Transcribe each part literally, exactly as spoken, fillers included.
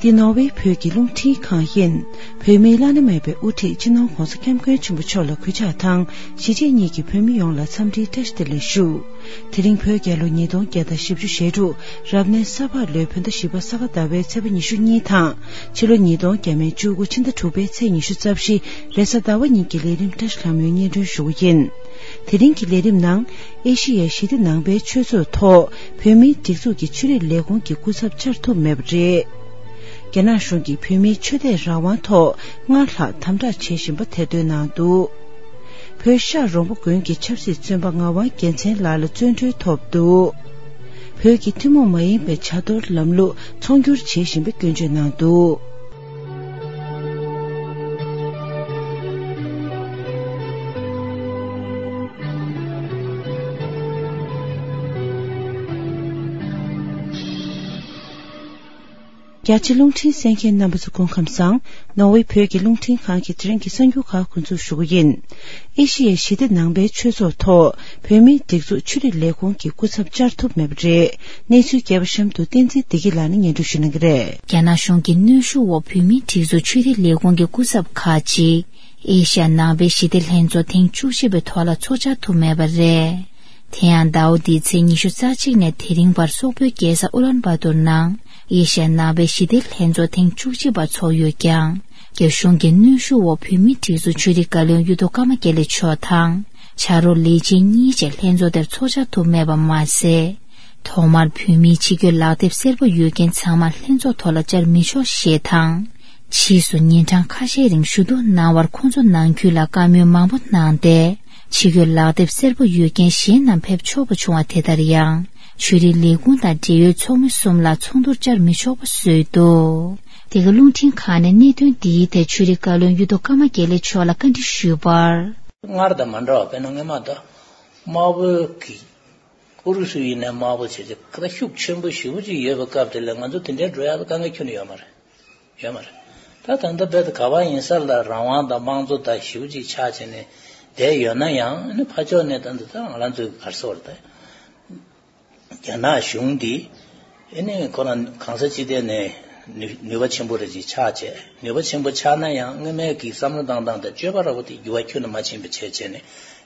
འདི་ནོར་ཝེ་བོད་ཀྱི་རླུང་འཕྲིན་ཁང་ཡིན། བོད་མིའི་བླ་ན་མེད་པའི་དབུ་ཁྲིད་སྤྱི་ནོར་༧གོང་ས་༧སྐྱབས་མགོན་ཆེན་པོ་མཆོག་ལ་གུས་ཕྱག་དང་། གཞིས་བྱེས་གཉིས་ཀྱི་བོད་མི་ཡོངས་ལ་འཚམས་འདྲིའི་བཀྲ་ཤིས་བདེ་ལེགས་ཞུ། དེ་རིང་བོད་རྒྱལ་ལོ་ཉིས་སྟོང་བརྒྱ་དང་བཞི་བཅུ་ཞེ་དྲུག་རབ་གནས་ས་ཕག་ལོའི་བོད་ཟླ་བཞི་པ་ས་ག་ཟླ་བའི་ཚེས་པ་ཉི་ཤུ་གཉིས་དང་། ཕྱི་ལོ་ཉིས་སྟོང་བརྒྱ་མེད་བཅུ་དགུ་ཕྱི་ཟླ་དྲུག་པའི་ཚེས་ཉི་ཤུ་རྩ་བཞི་རེས་གཟའ་ཟླ་བ་ཉིན་གྱི་ལས་རིམ་བཀྲ་ཤིས་ལྷ་མོས་སྙན་སྒྲོན་ཞུ་གི་ཡིན། དེ་རིང་གི་ལས་རིམ་ནང་། ཨེ་ཤི་ཡའི་ཞི་བདེ་ནང་པའི་ཆོས་ཚོགས་ཐོག་བོད་མིའི་སྒྲིག་འཛུགས་ཀྱི་ཆོས་རིག་ལས་ཁུངས་ཀྱི་སྐུ་ཚབ་བཅར་ཐུབ་མེད་པ་རེད། རྒྱ་ནག་གཞུང་གིས་བོད་མིའི་ཆོས་དད་རང་དབང་ཐོག་སྔར་ལྷག་དམ་དྲག་བྱེད་བཞིན་པ་ཐེར་འདོན་གནང་འདུག་བོད་ཤར་རོང་པོ་དགོན་གྱི་ཆབ་སྲིད་བཙོན་པ་ངག་དབང་རྒྱལ་མཚན་ལགས་ལ་བཙོན་གྲོལ་ཐོབ་འདུག་བོད་ཀྱི་ཐུན་མོང་མ་ཡིན་པའི་བྱ་གཏོར་ལམ་ལུགས་ཚོང་སྒྱུར་བྱེད་བཞིན་པའི་སྐྱོན་བརྗོད་གནང་འདུག་རྒྱ་ཆེ་རླུང་འཕྲིན་གསན་མཁན་རྣམ་པ་ཚོ་སྐུ་ཁམས་བཟང་། ནོར་ཝེ་བོད་ཀྱི་རླུང་འཕྲིན་ཁང་གི་དེ་རིང་གི་གསར་འགྱུར་ཁག་འགོ་འཛུགས་ཞུ་གི་ཡིན། ཨེ་ཤི་ཡའི་ཞི་བདེ་ནང་པའི་ཆོས་ཚོགས་ཐོག་བོད་མིའི་སྒྲིག་འཛུགས་ཆོས་རིག་ལས་ཁུངས་ཀྱི་སྐུ་ཚབ་བཅར་ཐུབ་མེད་པ་རེད། གནས་ཚུལ་རྒྱས་པ་གཤམ་དུ་བསྟན་འཛིན་བདེ་སྐྱིད་ལགས་ནས་སྙན་སྒྲོན་ཞུ་གནང་གི་རེད། རྒྱ་ནག་གཞུང་གི་གནོན་ཤུགས་འོག་བོད་མིའི་སྒྲིག་འཛུགས་ཆོས་རིག་ལས་ཁུངས་ཀྱི་སྐུ་ཚབ་ཁག་ཅིག་ཨེ་ཤ་ཡ་ནང་པའི་ཞི་བདེ་ལྷན་ཚོགས་ཐེངས་བཅུ་གཅིག་པའི་ཐོག་ལ་ཚོགས་བཅར་ཐུབ་མེད་པ་རེད། དེ་ཡང་ཟླ་བ་འདིའི་ཚེས་ཉི་ཤུ་རྩ་གཅིག་ནས་དེ་རིང་བར་སོག་པོའི་རྒྱལ་ས་ཨུ་ལན་བ་ཏུར་ནང་ཨེ་ཤ་ཡ་ནང་པའི་ཞི་བདེ་ལྷན་ཚོགས་ཐེངས་བཅུ་གཅིག་པ་ཚོགས་ཡོད་ཀྱང་། རྒྱ་གཞུང་གི་གནོན་ཤུགས་འོག་བོད་མིའི་སྒྲིག་འཛུགས་ཆོས་རིག་བཀའ་བློན་གཡུ་ཐོག་ཀརྨ་དགེ་ལེགས་མཆོག་དང་། ཕྱག་རོགས་ལས་བྱེད་གཉིས་བཅས་ལྷན་ཚོགས་དེར་ཚོགས་བཅར་ཐུབ་མེད་པ་མ་ཟད། ཐོག་མར་བོད་མིའི་ཕྱི་སྐྱོད་ལག་དེབ་སེར་པོ་ཡོད་མཁན་ཚང་མ་ལྷན་ཚོགས་ཐོག་ལ་བཅར་མི་ཆོག་ཞེས་དང་། ཕྱིས་སུ་ཉིན་གྲངས་ཁ་ཤས་རིང་ཞུ་གཏུག་གནང་བར་ཁོང་ཚོ་ནང་ཁུལ་ལ་བཀའ་མོལ་མང་པོ་གནང་སྟེ། ཕྱི་སྐྱོད་ལག་དེབ་སེར་པོ་ཡོད་མཁན་གཞན་རྣམས་ཕེབས་ཆོག་པ་བྱུང་བ་དེ་ལྟར་ཡང་། ཆོས་རིག་ལས་ཁུངས་དང་འབྲེལ་ཡོད་ཚོགས་མི་གསུམ་ལ་ཚོགས་འདུར་བཅར་མི་ཆོག་པ་བཟོས་འདུག་དེ་ག་རླུང་འཕྲིན་ཁང་ནས་གནད་དོན་འདིའི་ཐད་ཆོས་རིག་བཀའ་བློན་གཡུ་ཐོག་ཀརྨ་དགེ་ལེགས་མཆོག་ལ་བཀའ་འདྲི་ཞུས་པར། སྔར་དང་མ་འདྲ་བ། དཔེར་ན་སྔོན་མ་ད་དམར་པོའི་གི་ཨུ་རུ་སུ་ཡིན་ནའི་དམར་པོ་བྱས་ཏེ་ཁ་ཤུགས་ཆེན་པོ་ཞེ་པོ་ཅིག་ཡོད་པའི་སྐབས་དེ་ལ་ང་ཚོ་དེ་འདྲའི་འགྲོ་ཡག་ལ་དཀའ་ངལ་ཁྱོན་ནས་ཡོད་མ་རེད། ཡོད་མ་རེད། ད་ད་ལྟ་རྦད་དེ་ག་པར་ཡིན་ས་ལ་རང་དབང་དང་དམངས་གཙོ་དང་ཞེ་པོ་ཅིག་ཆགས་བྱས་ནས་བསྡད་ཡོད་ན་ཡང་། ཨ་ནི་ཕར་ཕྱོགས་ནས་ད་ལྟ་ད་ང་རང་ཚོའི་ག་རེ་ཟེར་དགོས་རེད། ད་རྒྱ་ནག་གཞུང་འདི་ཨ་ནི་ཁོ་རང་གང་ས་ཅི་ཐད་ནས་ནུས་ནུས་པ་ཆེན་པོ་རེ་ཅིག་ཆགས་བྱས། ནུས་པ་ཆེན་པོ་ཆགས་ན་ཡང་སྔོན་མའི་གི་བསམ་བློ་བཏང་སྟངས་དང་སྤྱོད་པ་འདྲ་པོ་དེ་འགྱུར་བ་ཁྱོན་ནས་མ་ཕྱིན་པ་བྱས་བྱས་ནས།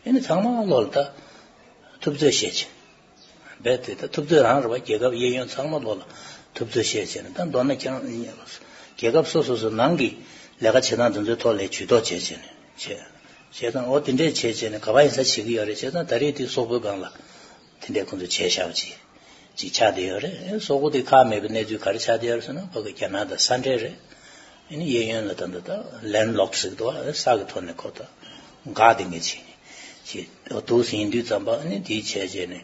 ཨ་ནི་ཚང་མ་བློ་ལ་ད་ཐུབ་ཚོད་བཤད་བྱས། རྦད་དེ་ད་ཐུབ་ཚོད་རང་རེད་པ། རྒྱལ་ཁབ་གཡས་གཡོན་ཚང་མ་ལོག་ལ་ཐུབ་ཚོད་བཤད་བྱས་ནས། ད་མདོར་ན་ཀྱང་རྒྱལ་ཁབ་སོ་སོ་སོ་ནང་གི་ལས་ཀ་བྱེད་སྟངས་དེ་ཚོའི་ཐོག་ལ་ཇུས་གཏོགས་བྱས་བྱས་ནས་བྱས། བྱས་ཙང་འོ་དེ་འདྲས་བྱས་བྱས་ནས་ག་པར་ཡིན་ས་བྱེད་ཀྱི་ཡོད་རེད། བྱས་ཙང་ད་རེས་དེ་སོག་པོའི་སྒང་ལ་དེ་འདྲས་ཁོང་ཚོས་བྱས་བཞག་པ་ཅིག་ཅིག་ཆགས་བསྡད་ཡོད་རེད། སོག་པོ་དེ་ཁག་མེད་པའི་གནས་ཚུལ་ག་རེ་ཆགས་བསྡད་ཡོད་རེད་ཟེར་ན། ཁོ་གི་རྒྱ་ནག་དང་ས་འབྲེལ་རེད། ཨ་ནི་གཡས་གཡོན་ལ་ད་ལྟ་ད་ལེན་ལོག་ཟེར་གི་འདུག་བ། ས་གི་ཐོག་ནས་ཁོ་ད་འགག་དེ་ངས་བྱས་ནས་ཅིག་འདུག་ཟིན་དུས་ཙམ་པ། ཨ་ནི་དེ་བྱས་བྱས་ནས་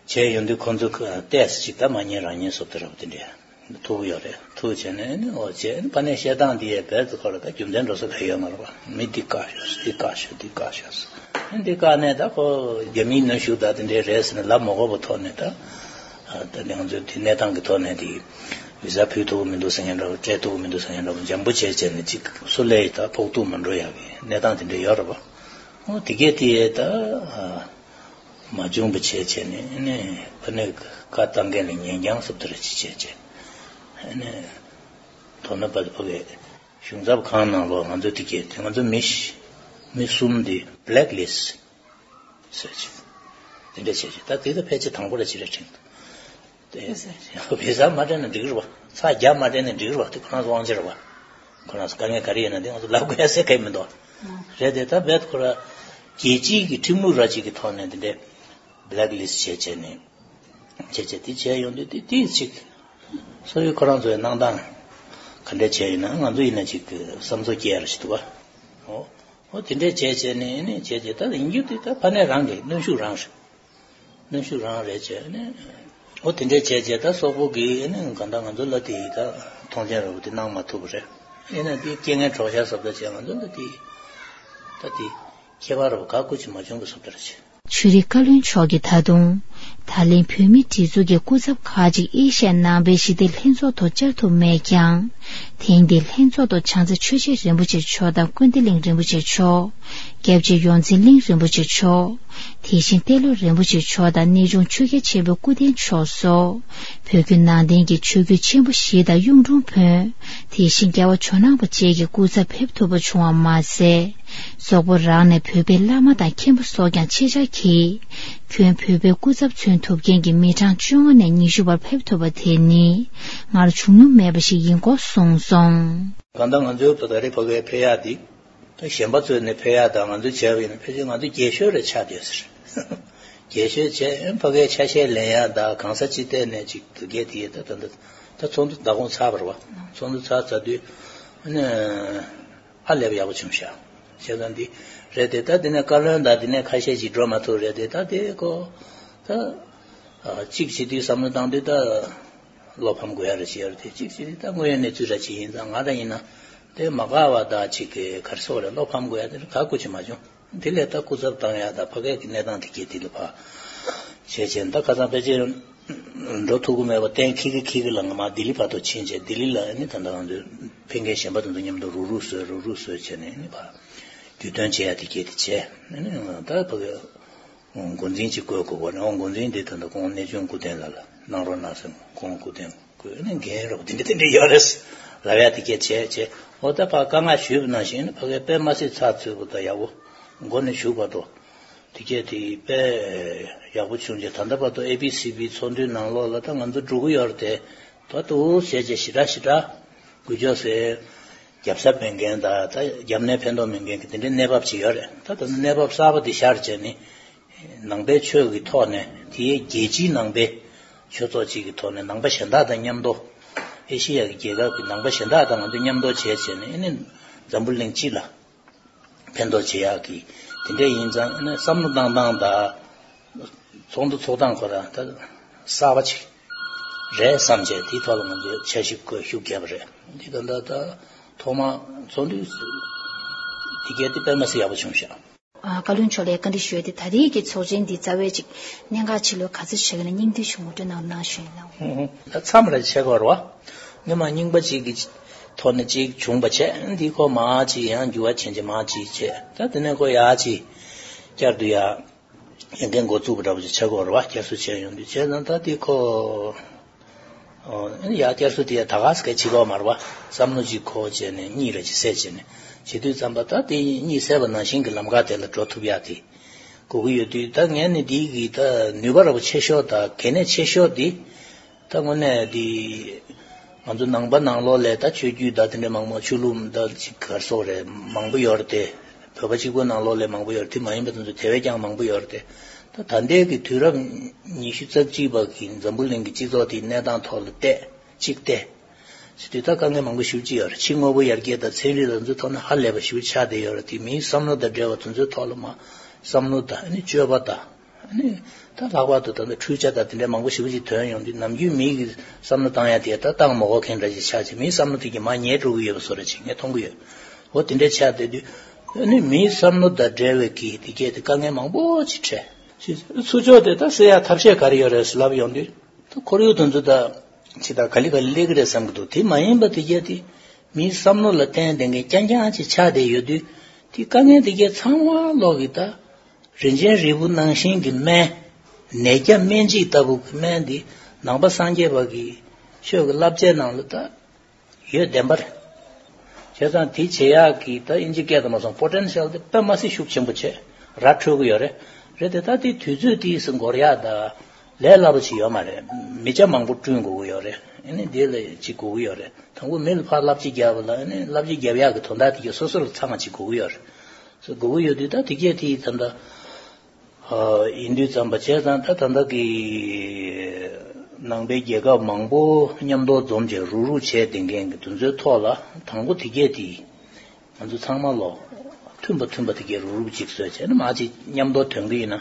བྱས་ཡོང་དུས། ཁོ་ཚོ་ཏོག་ཙམ་ཅིག་ད་མ་ཉན་རང་ཉན་བཟོ་འདྲ་པོ་དེ་འདྲས་ཐུག་ཡོད་རེད། ཐུག་བྱས་ནས་ཨ་ནི་འོ་བྱས། ཨ་ནི་ཕ་ནས་བཤད་སྟངས་དེ་ཡས་རྦད་དེ་ཁོ་ལ་ད་རྒྱུ་མཚན་འགྲོ་ས་ག་ཡོད་མ་རེད་པ། མི་འདི་བཀག་ཤོག་འདི་བཀག་ཤོག་འདི་བཀག་ཤོག་ཟེར། ཨ་ནི་འདི་བཀག་ནས་ད་ཁོ་རྒྱ་མིའི་གནོན་ཤུགས་ད་དེ་འདྲས་རེད་ཟེར་ནས་ལབ་མ་དགོས་པའི་ཐོག་ནས། ད་ད་ང་ཚོའི་དེ་གནས་སྟངས་ཀྱི་ཐོག་ནས་དེ་བི་ཟ་ཕུལ་ཐུབ་ཀྱི་མི་འདུག་ཟེར་མཁན་འདྲ་པོ། སྤྲད་ཐུབ་ཀྱི་མི་འདུག་ཟེར་མཁན་འདྲ་པོ། འཇམ་པོ་བྱས་བྱས་ནས་ཅིག་སུ་ལ་ཡི་ད་ཕོག་ཐུག་མ་འགྲོ་ཡག་གི་གནས་སྟངས་དེ་འདྲ་ཡོད་རེད་པ། འོ་དེ་གས་དེ་ད་མ་བྱུང་བ་བྱས་བྱས་ནས། ཨ་ནི་ཕ་ནས་བཀའ་བཏང་མཁན་ལ་ཉན་རྐྱང་བཟོ་འདྲ་ཅིག་བྱས་བྱས། ཨ་ནི་མདོར་ན་བར་དུ་ཕ་གི་གཞུང་ཚབ་ཁང་ནང་ལོགས་ང་ཚོ་དེ་གས་དེ་ང་ཚོ་མི་མི་གསུམ་དེ་བྷེ་ལེག་ལིསི་ཟེར་ཅིག་དེ་འདྲ་བྱས་ཅིག་ད་དེ་ད་ཕལ་ཆེར་དང་པོ་ར་ཅིག་རེད་དྲན་འདུག་དེ་བི་ཟ་མ་སྤྲད་ན་འགྲིག་རེད་པ། ཚ་རྒྱ་མ་སྤྲད་ན་འགྲིག་རེད་པ། དེ་ཁོ་རང་ཚོ་དབང་ཆ་རེད་པ། ཁོ་རང་ཚོ་དཀའ་ངལ་ག་རེ་ཡོད་ན་དེ་ང་ཚོ་ལབ་དགོས་ཡ་ཟེར་ག་ཡི་མི་འདུག་རེད་དེ། ད་རྦད་ཁོ་ར་རྒྱལ་སྤྱིའི་གི་ཁྲིམས་ལུགས་ར་ཅིག་གི་ཐོག་ནས་དེ་འདྲའི་བྷེ་ལེག་ལིསི་བྱས་བྱས་ནས་བྱས་བྱས་དེ་བྱས་ཡོང་དུས། དེ་དེ་ཅིག་སོ་ཡོད་ཁོ་རང་ཚོའི་གནང་སྟངས་ག་འདྲ་བྱས་ཡིན་ན། ང་ཚོ་ཡིན་ན་ཅིག་བསམ་ཚོར་སྐྱེ་ཡ་ར་ཞིག་འདུག་པ། འོ། འོ་དེ་འདྲས་བྱས་བྱས་ནས་ནས་བྱས་བྱས། ད་ཡིན་རྒྱུ་དེ་ད་ཕ་ནས་རང་གི་གནོན་ཤུགས་རང་རེད། གནོན་ཤུགས་རང་རེད་བྱས་ནས། འོ་དེ་འདྲས་བྱས་བྱས། ད་སོག་པོ་གིས་ནས་གང་ལྟར་ང་ཚོ་ལ་དེ་ད་མཐོང་ཆེན་འདྲ་པོ་དེ་གནང་མ་ཐུབ་པ་རེད། ཡིན་ན་དེ་རྐྱེན་ངན་གྲོགས་ཤར་བཟོ་འདྲ་བྱས། ང་ཚོ་ལ་དེ་ད་དེ་ཁྱད་པར་ར་ག་ཀུ་ཅིག་མ་བྱུང་བ་བཟོ་འདྲ་བྱས། ཆོས་རིག་བཀའ་བློན་མཆོག་གིས་ད་དུང་། ད་ལན་བོད་མིའི་སྒྲིག་འཛུགས་ཀྱི་སྐུ་ཚབ་ཁག་ཅིག་ཨེ་ཤ་ཡ་ནང་པའི་ཞི་བདེ་ལྷན་ཚོགས་ཐོག་བཅར་ཐུབ་མེད་ཀྱང་། ཐེངས་འདིའི་ལྷན་ཚོགས་ཐོག་བྱང་རྩེ་ཆོས་རྗེ་རིན་པོ་ཆེ་མཆོག་དང་ཀུན་བདེ་གླིང་རིན་པོ་ཆེ་མཆོག་རྒྱལ་བྱེད་ཡོངས་འཛིན་གླིང་རིན་པོ་ཆེ་མཆོག་དེ་བཞིན་ཏེ་ལོ་རིན་པོ་ཆེ་མཆོག་དང་གནས་ཆུང་ཆོས་རྒྱལ་ཆེན་པོའི་སྐུ་རྟེན་མཆོག་སོགས། བོད་བརྒྱུད་ནང་བསྟན་གྱི་ཆོས་བརྒྱུད་ཆེན་པོ་བཞི་དང་གཡུང་དྲུང་བོན། དེ་བཞིན་རྒྱལ་བ་ཇོ་ནང་པ་བཅས་ཀྱི་སྐུ་ཚབ་ཕེབས་ཐུབ་པ་བྱུང་བ་མ་ཟད། སོག་པོ་རང་ནས་བོད་པའི་བླ་མ་དང་མཁན་པོ་སོགས་ཀྱང་ཆེད་བཅར་གྱིས། ཁྱོན་བོད་པའི་སྐུ་ཚབ་མཚོན་ཐུབ་མཁན་གྱི་མི་གྲངས་བཅོ་ལྔ་ནས་ཉི་ཤུ་བར་ཕེབས་ཐུབ་པ་དེ་ནི་སྔར་བྱུང་མྱོང་མེད་པ་ཞིག་ཡིན་སྐོར་གསུངས་སོང་། གང་ལྟར་ང་ཚོའི་ད་ལྟ་རེ་ཕ་གིར་ཕེབས་ཡག་འདི། ད་གཞན་པ་ཚོས་ནི་ཕེབས་ཡག་དང་ང་ཚོས་བྱས་པ་ཡིན་ན་ཕལ་ཆེར་ང་ཚོ་རྒྱས་ཤོས་རེ་ཆགས་བསྡད་ཟེར། རྒྱས་ཤོས་བྱས་ཕ་གིའི་ཆ་ཤས་ལེན་ཡག་དང་གང་ས་ཅི་ཐད་ནས་ཅིག་དུ་རྒྱས་དེ་ཡས་ད་ད་ད་ད་ཚོགས་འདུ་མདང་དགོང་ཚར་བ་རེད་བ། ཚོགས་འདུ་ཚར་ཚར་དུས་ཨ་ནི་ཧ་ལས་པ་ཡག་པོ་བྱུང་ཤག་བྱས་ཙང་འདི་རེད་དེ། ད་འདི་ནས་བཀའ་བློན་དང་འདི་ནས་ཁ་ཤས་ཅིག་འགྲོ་མ་ཐུབ་རེད་དེ། ད་དེ་ཀོ་ད་ཨ་གཅིག་བྱེད་དུས་བསམ་བློ་བཏང་དུས་ད། བློ་ཕམ་དགོས་ཡ་རེ་བྱེད་ཡ་རེ་དེ་གཅིག་བྱེད་དུས་ད་དངོས་ཡོད་གནས་ཚུལ་ར་ཅིག་ཡིན་ཙང་ང་ར་ཡིན་ན་དེ་མ་དགའ་བ་དང་གཅིག་གི་གར་སོགས་རེ་བློ་ཕམ་དགོས་ཡ་དེ་ར་ག་སྐུ་ཅི་མ་བྱུང་། དེ་ལས་ད་སྐུ་ཚབ་བཏང་ཡ་ད་ཕ་གའི་གི་གནས་སྟངས་དེ་གས་དེ་ལ་ཕ་བྱས་བྱས་ད་ཁ་སང་ཕལ་ཆེར་འགྲོ་ཐུབ་ཀྱི་མེད་པ་གཏན་འཁེལ་གི་འཁེལ་གི་ལ་ང་མ་ལྡི་ལི་བར་དུ་ཕྱིན་བྱས་ལྡི་ལི་ལ་ཨ་ནི་ད་ལྟ་ང་ཚོའི་ཕེབས་མཁན་གཞན་པ་དེ་ཚོ་མཉམ་དུ་རུག་རུག་བཟོས་རུག་རུག་བཟོས་བྱས་ནས་ཨ་ནི་ཕ་རྒྱུས་སྟོན་བྱེད་ཡ་དེ་གས་དེ་བྱས་ཨ་ནི་ད་ཕ་གའི་འགོ་འཛིན་ཅིག་བསྐོས་དགོས་པ་རེད། འོ་འགོ་འཛིན་དེ་ད་ལྟ་ཁོང་གནས་ཆུང་སྐུ་རྟེན་ལ་ལ་གནང་རོགས་གནང་ཟེར། ཁོང་སྐུ་རྟེན་བསྐོས་ནས་འགན་རོགས་དེ་འདྲ་དེ་འདྲ་ཡོད་རེད་ལབ་ཡ་དེ་སྐད་བྱས་བྱས། འོ་ད་ཕར་བཀའ་མངགས་ཞུས་པ་ནང་བཞིན་ཕ་གའི་དཔེ་མ་སྲིད་ཚགས་ཚུད་པོ་དང་ཡག་པོ་འགོ་ནས་མཇུག་བར་དུ་དེ་སྐད་དེ་དཔེ་ཡག་པོ་བྱུང་རྗེས་ད་ལྟ་བར་དུ་ཨེ་བི་སི་བི་ཚོགས་འདུའི་ནང་ལོགས་ལ་ད་ང་ཚོ་འགྲོ་གི་ཡོད་རེད་དེ། ད་དུ་བྱས་རྗེས་ཞེ་དྲག་ཞེ་དྲག་དགོས་ཆོག་ཟེར། རྒྱབ་གཟབ་མེད་མཁན་དང་ད་རྒྱབ་ནས་ཕན་ཐོགས་མེད་མཁན་གྱི་དེ་འདྲའི་གནས་བབ་ཅིག་ཡོད་རེད། ད་ད་གནས་བབ་གསར་པ་འདི་ཤར་བྱས་ནས་ནང་པའི་ཆོས་ཀྱི་ཐོག་ནས་དེའི་རྒྱལ་སྤྱིའི་ནང་པའི་ཆོས་ཚོགས་གཅིག་གི་ཐོག་ནས་ནང་པ་གཞན་དག་དང་མཉམ་དུ་ཨེ་ཤི་ཡ་གི་རྒྱལ་ཁབ་ཀྱི་ནང་པ་གཞན་དག་དང་ང་ཚོ་མཉམ་དུ་བྱས་བྱས་ནས་ཨ་ནི་འཛམ་བུ་གླིང་སྤྱི་ལ་ཕན་ཐོགས་བྱེད་ཡག་གི་དེ་འདྲ་ཡིན་ཙང་ཨ་ནི་བསམ་བློ་བཏང་སྟངས་དང་། ཚོགས་འདུ་ཚོགས་སྟངས་ཁོ་རང་ད་གསར་པ་ཅིག་རེད་བསམ་བྱས་དེའི་ཐོག་ལ་ང་ཚོས་འཆར་གཞི་བཀོད་ཤུགས་བརྒྱབ་པ་རེད། འདི་ད་ལྟ་ད་ཐོག་མ་ཚོགས་འདུ་དེ་གས་དེ་དཔེ་མ་སྲིད་ཡག་པོ་བྱུང་ཤག་ཨ། བཀའ་བློན་མཆོག་ལ་བཀའ་འདྲི་ཞུ་ཡ་དེ་ད་རེས་ཀྱི་ཚོགས་ཆེན་འདི་རྩ་བའི་ཅིག་གནད་འགག་ཆེ་ལོས་ག་ཚོད་ཆགས་ཀྱི་ན་སྙིང་བསྡུས་ཤིག་ངོ་སྤྲོད་གནང་གནང་ཞུ་ཡིན་ལགས། ཧུང་ཧུང་། ད་མཚམས་རེ་ཆགས་ཀྱི་ཡོད་རེད་བ། སྔོན་མ་རྙིང་པ་གཅིག་གི་ཐོག་ནས་གཅིག་བྱུང་བ་བྱས། འདི་ཁོ་མ་གཅིག་ཡང་འགྱུར་བ་ཕྱིན་ཅིག་མ་གཅིག་བྱས། ད་དེ་ནས་ཁོ་ཡག་ཅིག་བསྐྱར་དུ་ཡག་ཡང་འགན་འགོ་བཙུགས་པ་འདྲ་པོ་ཅིག་ཆགས་ཀྱི་ཡོད་རེད་བ། བསྐྱར་གསོ་བྱས་ཡོང་དུས་བྱས་ཙང་ད་དེ་ཁོ་ཨོ་ཡ་བསྐྱར་གསོ་དེ་ད་ག་སེ་ག་བྱེད་ཀྱི་ཡོད་མ་རེད་བ། བསམ་བློ་ཅིག་འཁོར་བྱས་ནས་གཉིད་རེ་ཅིག་སད་བྱས་ནས་བྱེད་དུས་ཙམ་པ་ད་དེ་གཉིད་སད་པ་ནང་བཞིན་གྱི་ལམ་ཁ་དེ་ལ་འགྲོ་ཐུབ་ཡག་དེ་དགོས་ཀྱི་ཡོད་དུས། ད་ངས་ནི་འདི་གི་ད་ནུས་པ་ར་པོ་ཆེ་ཤོས་དང་གལ་གནད་ཆེ་ཤོས་དེ་ད་དངོས་གནས་དེ་ང་ཚོ་ནང་པ་ནང་ལོགས་ལ་ད་ཆོས་བརྒྱུད་ད་དེ་འདྲ་མང་པོ་ཆོས་ལུགས་ད་ཅིག་ག་རེ་ཟེར་དགོས་རེད། མང་པོ་ཡོད་རེད་དེ། བོད་པ་གཅིག་པོ་ནང་ལོགས་ལ་མང་པོ་ཡོད་རེད། དེ་མ་ཡིན་པ་དེ་ཚོ་དེ་བས་ཀྱང་མང་པོ་ཡོད་རེད་དེ། ད་ད་ལྟའི་གི་དུས་རབས་ཉི་ཤུ་རྩ་གཅིག་པ་གི་འཛམ་བུ་གླིང་གི་སྤྱི་ཚོགས་དེའི་གནས་སྟངས་ཐོག་ལ་བལྟས་གཅིག་བལྟས་ཟེར་དུས་ད་དཀའ་ངལ་མང་པོ་ཞེ་པོ་ཅིག་ཡོད་རེད། ཕྱི་དངོས་པོ་ཡར་རྒྱས་དང་ཚན་རིག་དང་ཚོའི་ཐོག་ནས་ཧ་ལས་པ་ཞེ་པོ་ཆགས་བསྡད་ཡོད་རེད། དེ་མིའི་བསམ་བློ་དང་འབྲེལ་བ་དེ་ཚོའི་ཐོག་ལ་མ་བསམ་བློ་དང་ཨ་ནི་སྤྱོད་པ་དང་ཨ་ནི་ད་ལྷག་པར་དུ་ད་ལྟ་འཕྲུལ་ཆ་དང་དེ་འདྲའི་མང་པོ་ཞེ་པོ་ཅིག་ཐོན་ཡོང་དུས་ནམ་རྒྱུན་མི་གི་བསམ་བློ་བཏང་ཡ་དེ་ད་བཏང་མ་དགོས་མཁན་འདྲ་ཞིག་ཆགས་བྱས། མིའི་བསམ་བློ་དེ་གི་མར་ཉལ་འགྲོ་གི་ཡོད་པ་བཟོ་འདྲ་ཅིག་ངས་མཐོང་གི་ཡོད། འོ་དེ་འདྲ་ཆགས་བསྡད་དུས་ཨ་ནི་མིའི་བསམ་བློ་དང་འབྲེལ་བའི་གི་དེ་གས་དེ་དཀའ་ངལ་མང་པོ་ཅིག་འཕྲད། ཚུར་ཕྱོགས་དེ་ད་སེལ་ཡ་ཐབས་ཤེས་ག་རེ་ཡོད་རེད་ཟེར་ལབ་ཡོང་དུས། ད་ཁོར་ཡུག་དེ་ཚོ་ད་ཅི་ད་ག་ལེ་ག་ལེ་སླེབས་ཀྱི་རེད་བསམ་གྱི་འདུག་དེ་མ་ཡིན་པ་དེ་གས་དེ་མིའི་བསམ་བློ་ལ་བརྟེན་བསྡད་མཁན་རྐྱང་རྐྱང་ཅིག་ཆགས་བསྡད་ཡོད་དུས། དེ་དཀའ་ངལ་དེ་གས་ཚང་མ་ལོག་གི་ད་རིན་ཆེན་རིལ་བུ་ནང་བཞིན་གྱི་སྨན། ནད་བརྒྱ་སྨན་གཅིག་ལྟ་བུ་གི་སྨན་འདི་ནང་པ་སངས་རྒྱས་པ་གི་ཆོས་ཀྱི་བསླབ་བྱའི་ནང་ལ་ད་ཡོད་བདེན་པ་རེད། བྱས་ཙང་དེ་བྱེད་ཡག་གི་ད་ཨིན་ཇི་སྐད་དུ་མ་སོང་པོ་ཊེན་ཤལ་དེ་དཔེ་མ་སྲིད་ཤུགས་ཆེན་པོ་བྱས་ར་འཕྲོད་ཀྱི་ཡོད་རེད། རེད་དེ་ད་དེ་དུས་ཚོད་དེ་སུ་འགོར་ཡག་ད་ལས་སླ་པོ་ཅིག་ཡོད་མ་རེད། མི་ཆ་མང་པོ་བསྐྲུན་དགོས་ཀྱི་ཡོད་རེད། ཨ་ནི་དེ་ལ་ཅིག་དགོས་ཀྱི་ཡོད་རེད། དང་པོ་མི་ལ་ཕར་བསླབ་བྱ་རྒྱབ་པ་ལ་ཨ་ནི་བསླབ་བྱ་རྒྱབ་ཡག་གི་དོན་དག་དེ་གས་སོ་སོ་ལ་ཚང་མ་ཅིག་དགོས་ཀྱི་ཡོད་རེད། སོ་དགོས་ཀྱི་ཡོད་དུས་ད་དེ་གས་དེ་ད་ལྟ་ཨ་ཡིན་དུས་ཙམ་པ་བྱས་ཙང་ད་ད་ལྟ་གི་ནང་པའི་རྒྱལ་ཁབ་མང་པོ་མཉམ་དུ་འཛོམས་བྱས་རུག་རུག་བྱས་བསྡད་མཁན་གྱི་དེ་ཚོའི་ཐོག་ལ་དང་པོ་དེ་གས་དེ་ང་ཚོ་ཚང་མ་ལོ་མཐུན་པ་མཐུན་པ་དེ་གས་རུག་རུག་ཅིག་བཟོས་བྱས་ན་མ་ཅིག་མཉམ་དུ་ཐོན་གི་ཡིན་ན་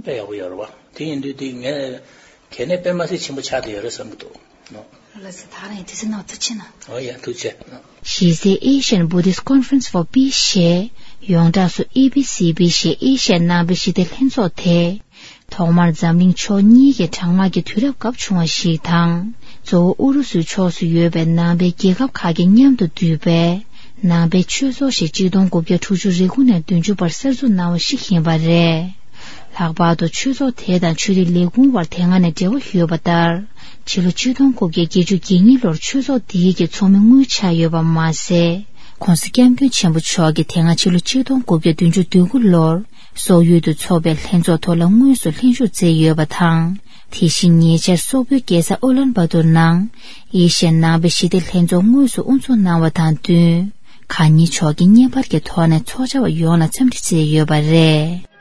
དཔེ་ཡག་པོ་ཡོད་རེད་བ། དེ་ཡིན་དུས་དེ་ངས་གལ་གནད་དཔེ་མ་སྲིད་ཆེན་པོ་ཆགས་བསྡད་ཡོད་རེད་བསམ་གྱི་འདུག་ལགས་སོ། ད་རང་ཡིན་དུས་ཚོད་ནང་ཐུགས་རྗེ་གནང་། ཨོ་ཡ་ཐུགས་རྗེ་གནང་། གཞི་རྩའི་Asian Buddhist Conference for Peace ཞེས་ཡོངས་གྲགས་སུ་ཨེ་བི་སི་བི་ཞེས་ཨེ་ཤ་ཡའི་ནང་པའི་ཞི་བདེ་ལྷན་ཚོགས་དེ་ཐོག་མར་འཛམ་གླིང་ཕྱོགས་གཉིས་ཀྱི་གྲང་དམག་གི་དུས་རབས་སྐབས་བྱུང་བ་ཞིག་དང་ གཙོ་བོ་ཨུ་རུ་སུའི་ཕྱོགས་སུ་ཡོད་པའི་ནང་པའི་རྒྱལ་ཁབ་ཁག་གིས་མཉམ་དུ་བསྡུས་པའི་ནང་པའི་ཆོས་ཚོགས་ཤིག་ཆིག་སྟོང་དགུ་བརྒྱ་དྲུག་ཅུ་རེ་དགུ་ནས་བདུན་ཅུ་བར་གསར་འཛུགས་གནང་བ་ཞིག་ཡིན་པ་རེད། ལྷག་པར་དུ་ཆོས་ཚོགས་དེ་དང་ཆོས་རིག་ལས་ཁུངས་བར་དེ་སྔ་ནས་འབྲེལ་བ་ཡོད་པ་ལྟར། ཕྱི་ལོ་ཆིག་སྟོང་དགུ་བརྒྱ་བརྒྱད་ཅུ་གྱ་གཉིས་ལོར་ཆོས་ཚོགས་འདིའི་གི་ཚོགས་མི་དངུལ་ཆགས་ཡོད་པ་མ་ཟད། ྋགོང་ས་ྋསྐྱབས་མགོན་ཆེན་པོ་མཆོག་གིས་དེ་སྔ་ཕྱི་ལོ་ཆིག་སྟོང་དགུ་བརྒྱ་བདུན་ཅུ་དོན་དགུ་ལོར་སོག་ཡུལ་དུ་འཚོགས་པའི་ལྷན་ཚོགས་ཐོག་ལ་དངོས་སུ་ལྷན་ཞུགས་མཛད་ཡོད་པ་དང་། དེ་བཞིན་ཉེ་ཆར་སོག་པོའི་རྒྱལ་ས་ཨུ་ལན་བ་ཏུར་ནང་ཨེ་ཤ་ཡའི་ནང་པའི་ཞི་བདེ་ལྷན་ཚོགས་དངོས་སུ་དབུ་འཛུགས་གནང་བ་དང་བསྟུན། གང་ཉིད་མཆོག་གིས་བརྙན་པར་གྱི་ཐོག་ནས་ཚོགས་བཅར་བ་ཡོངས་ལ་འཚམས་འདྲི་མཛད་ཡོད་པ་རེད།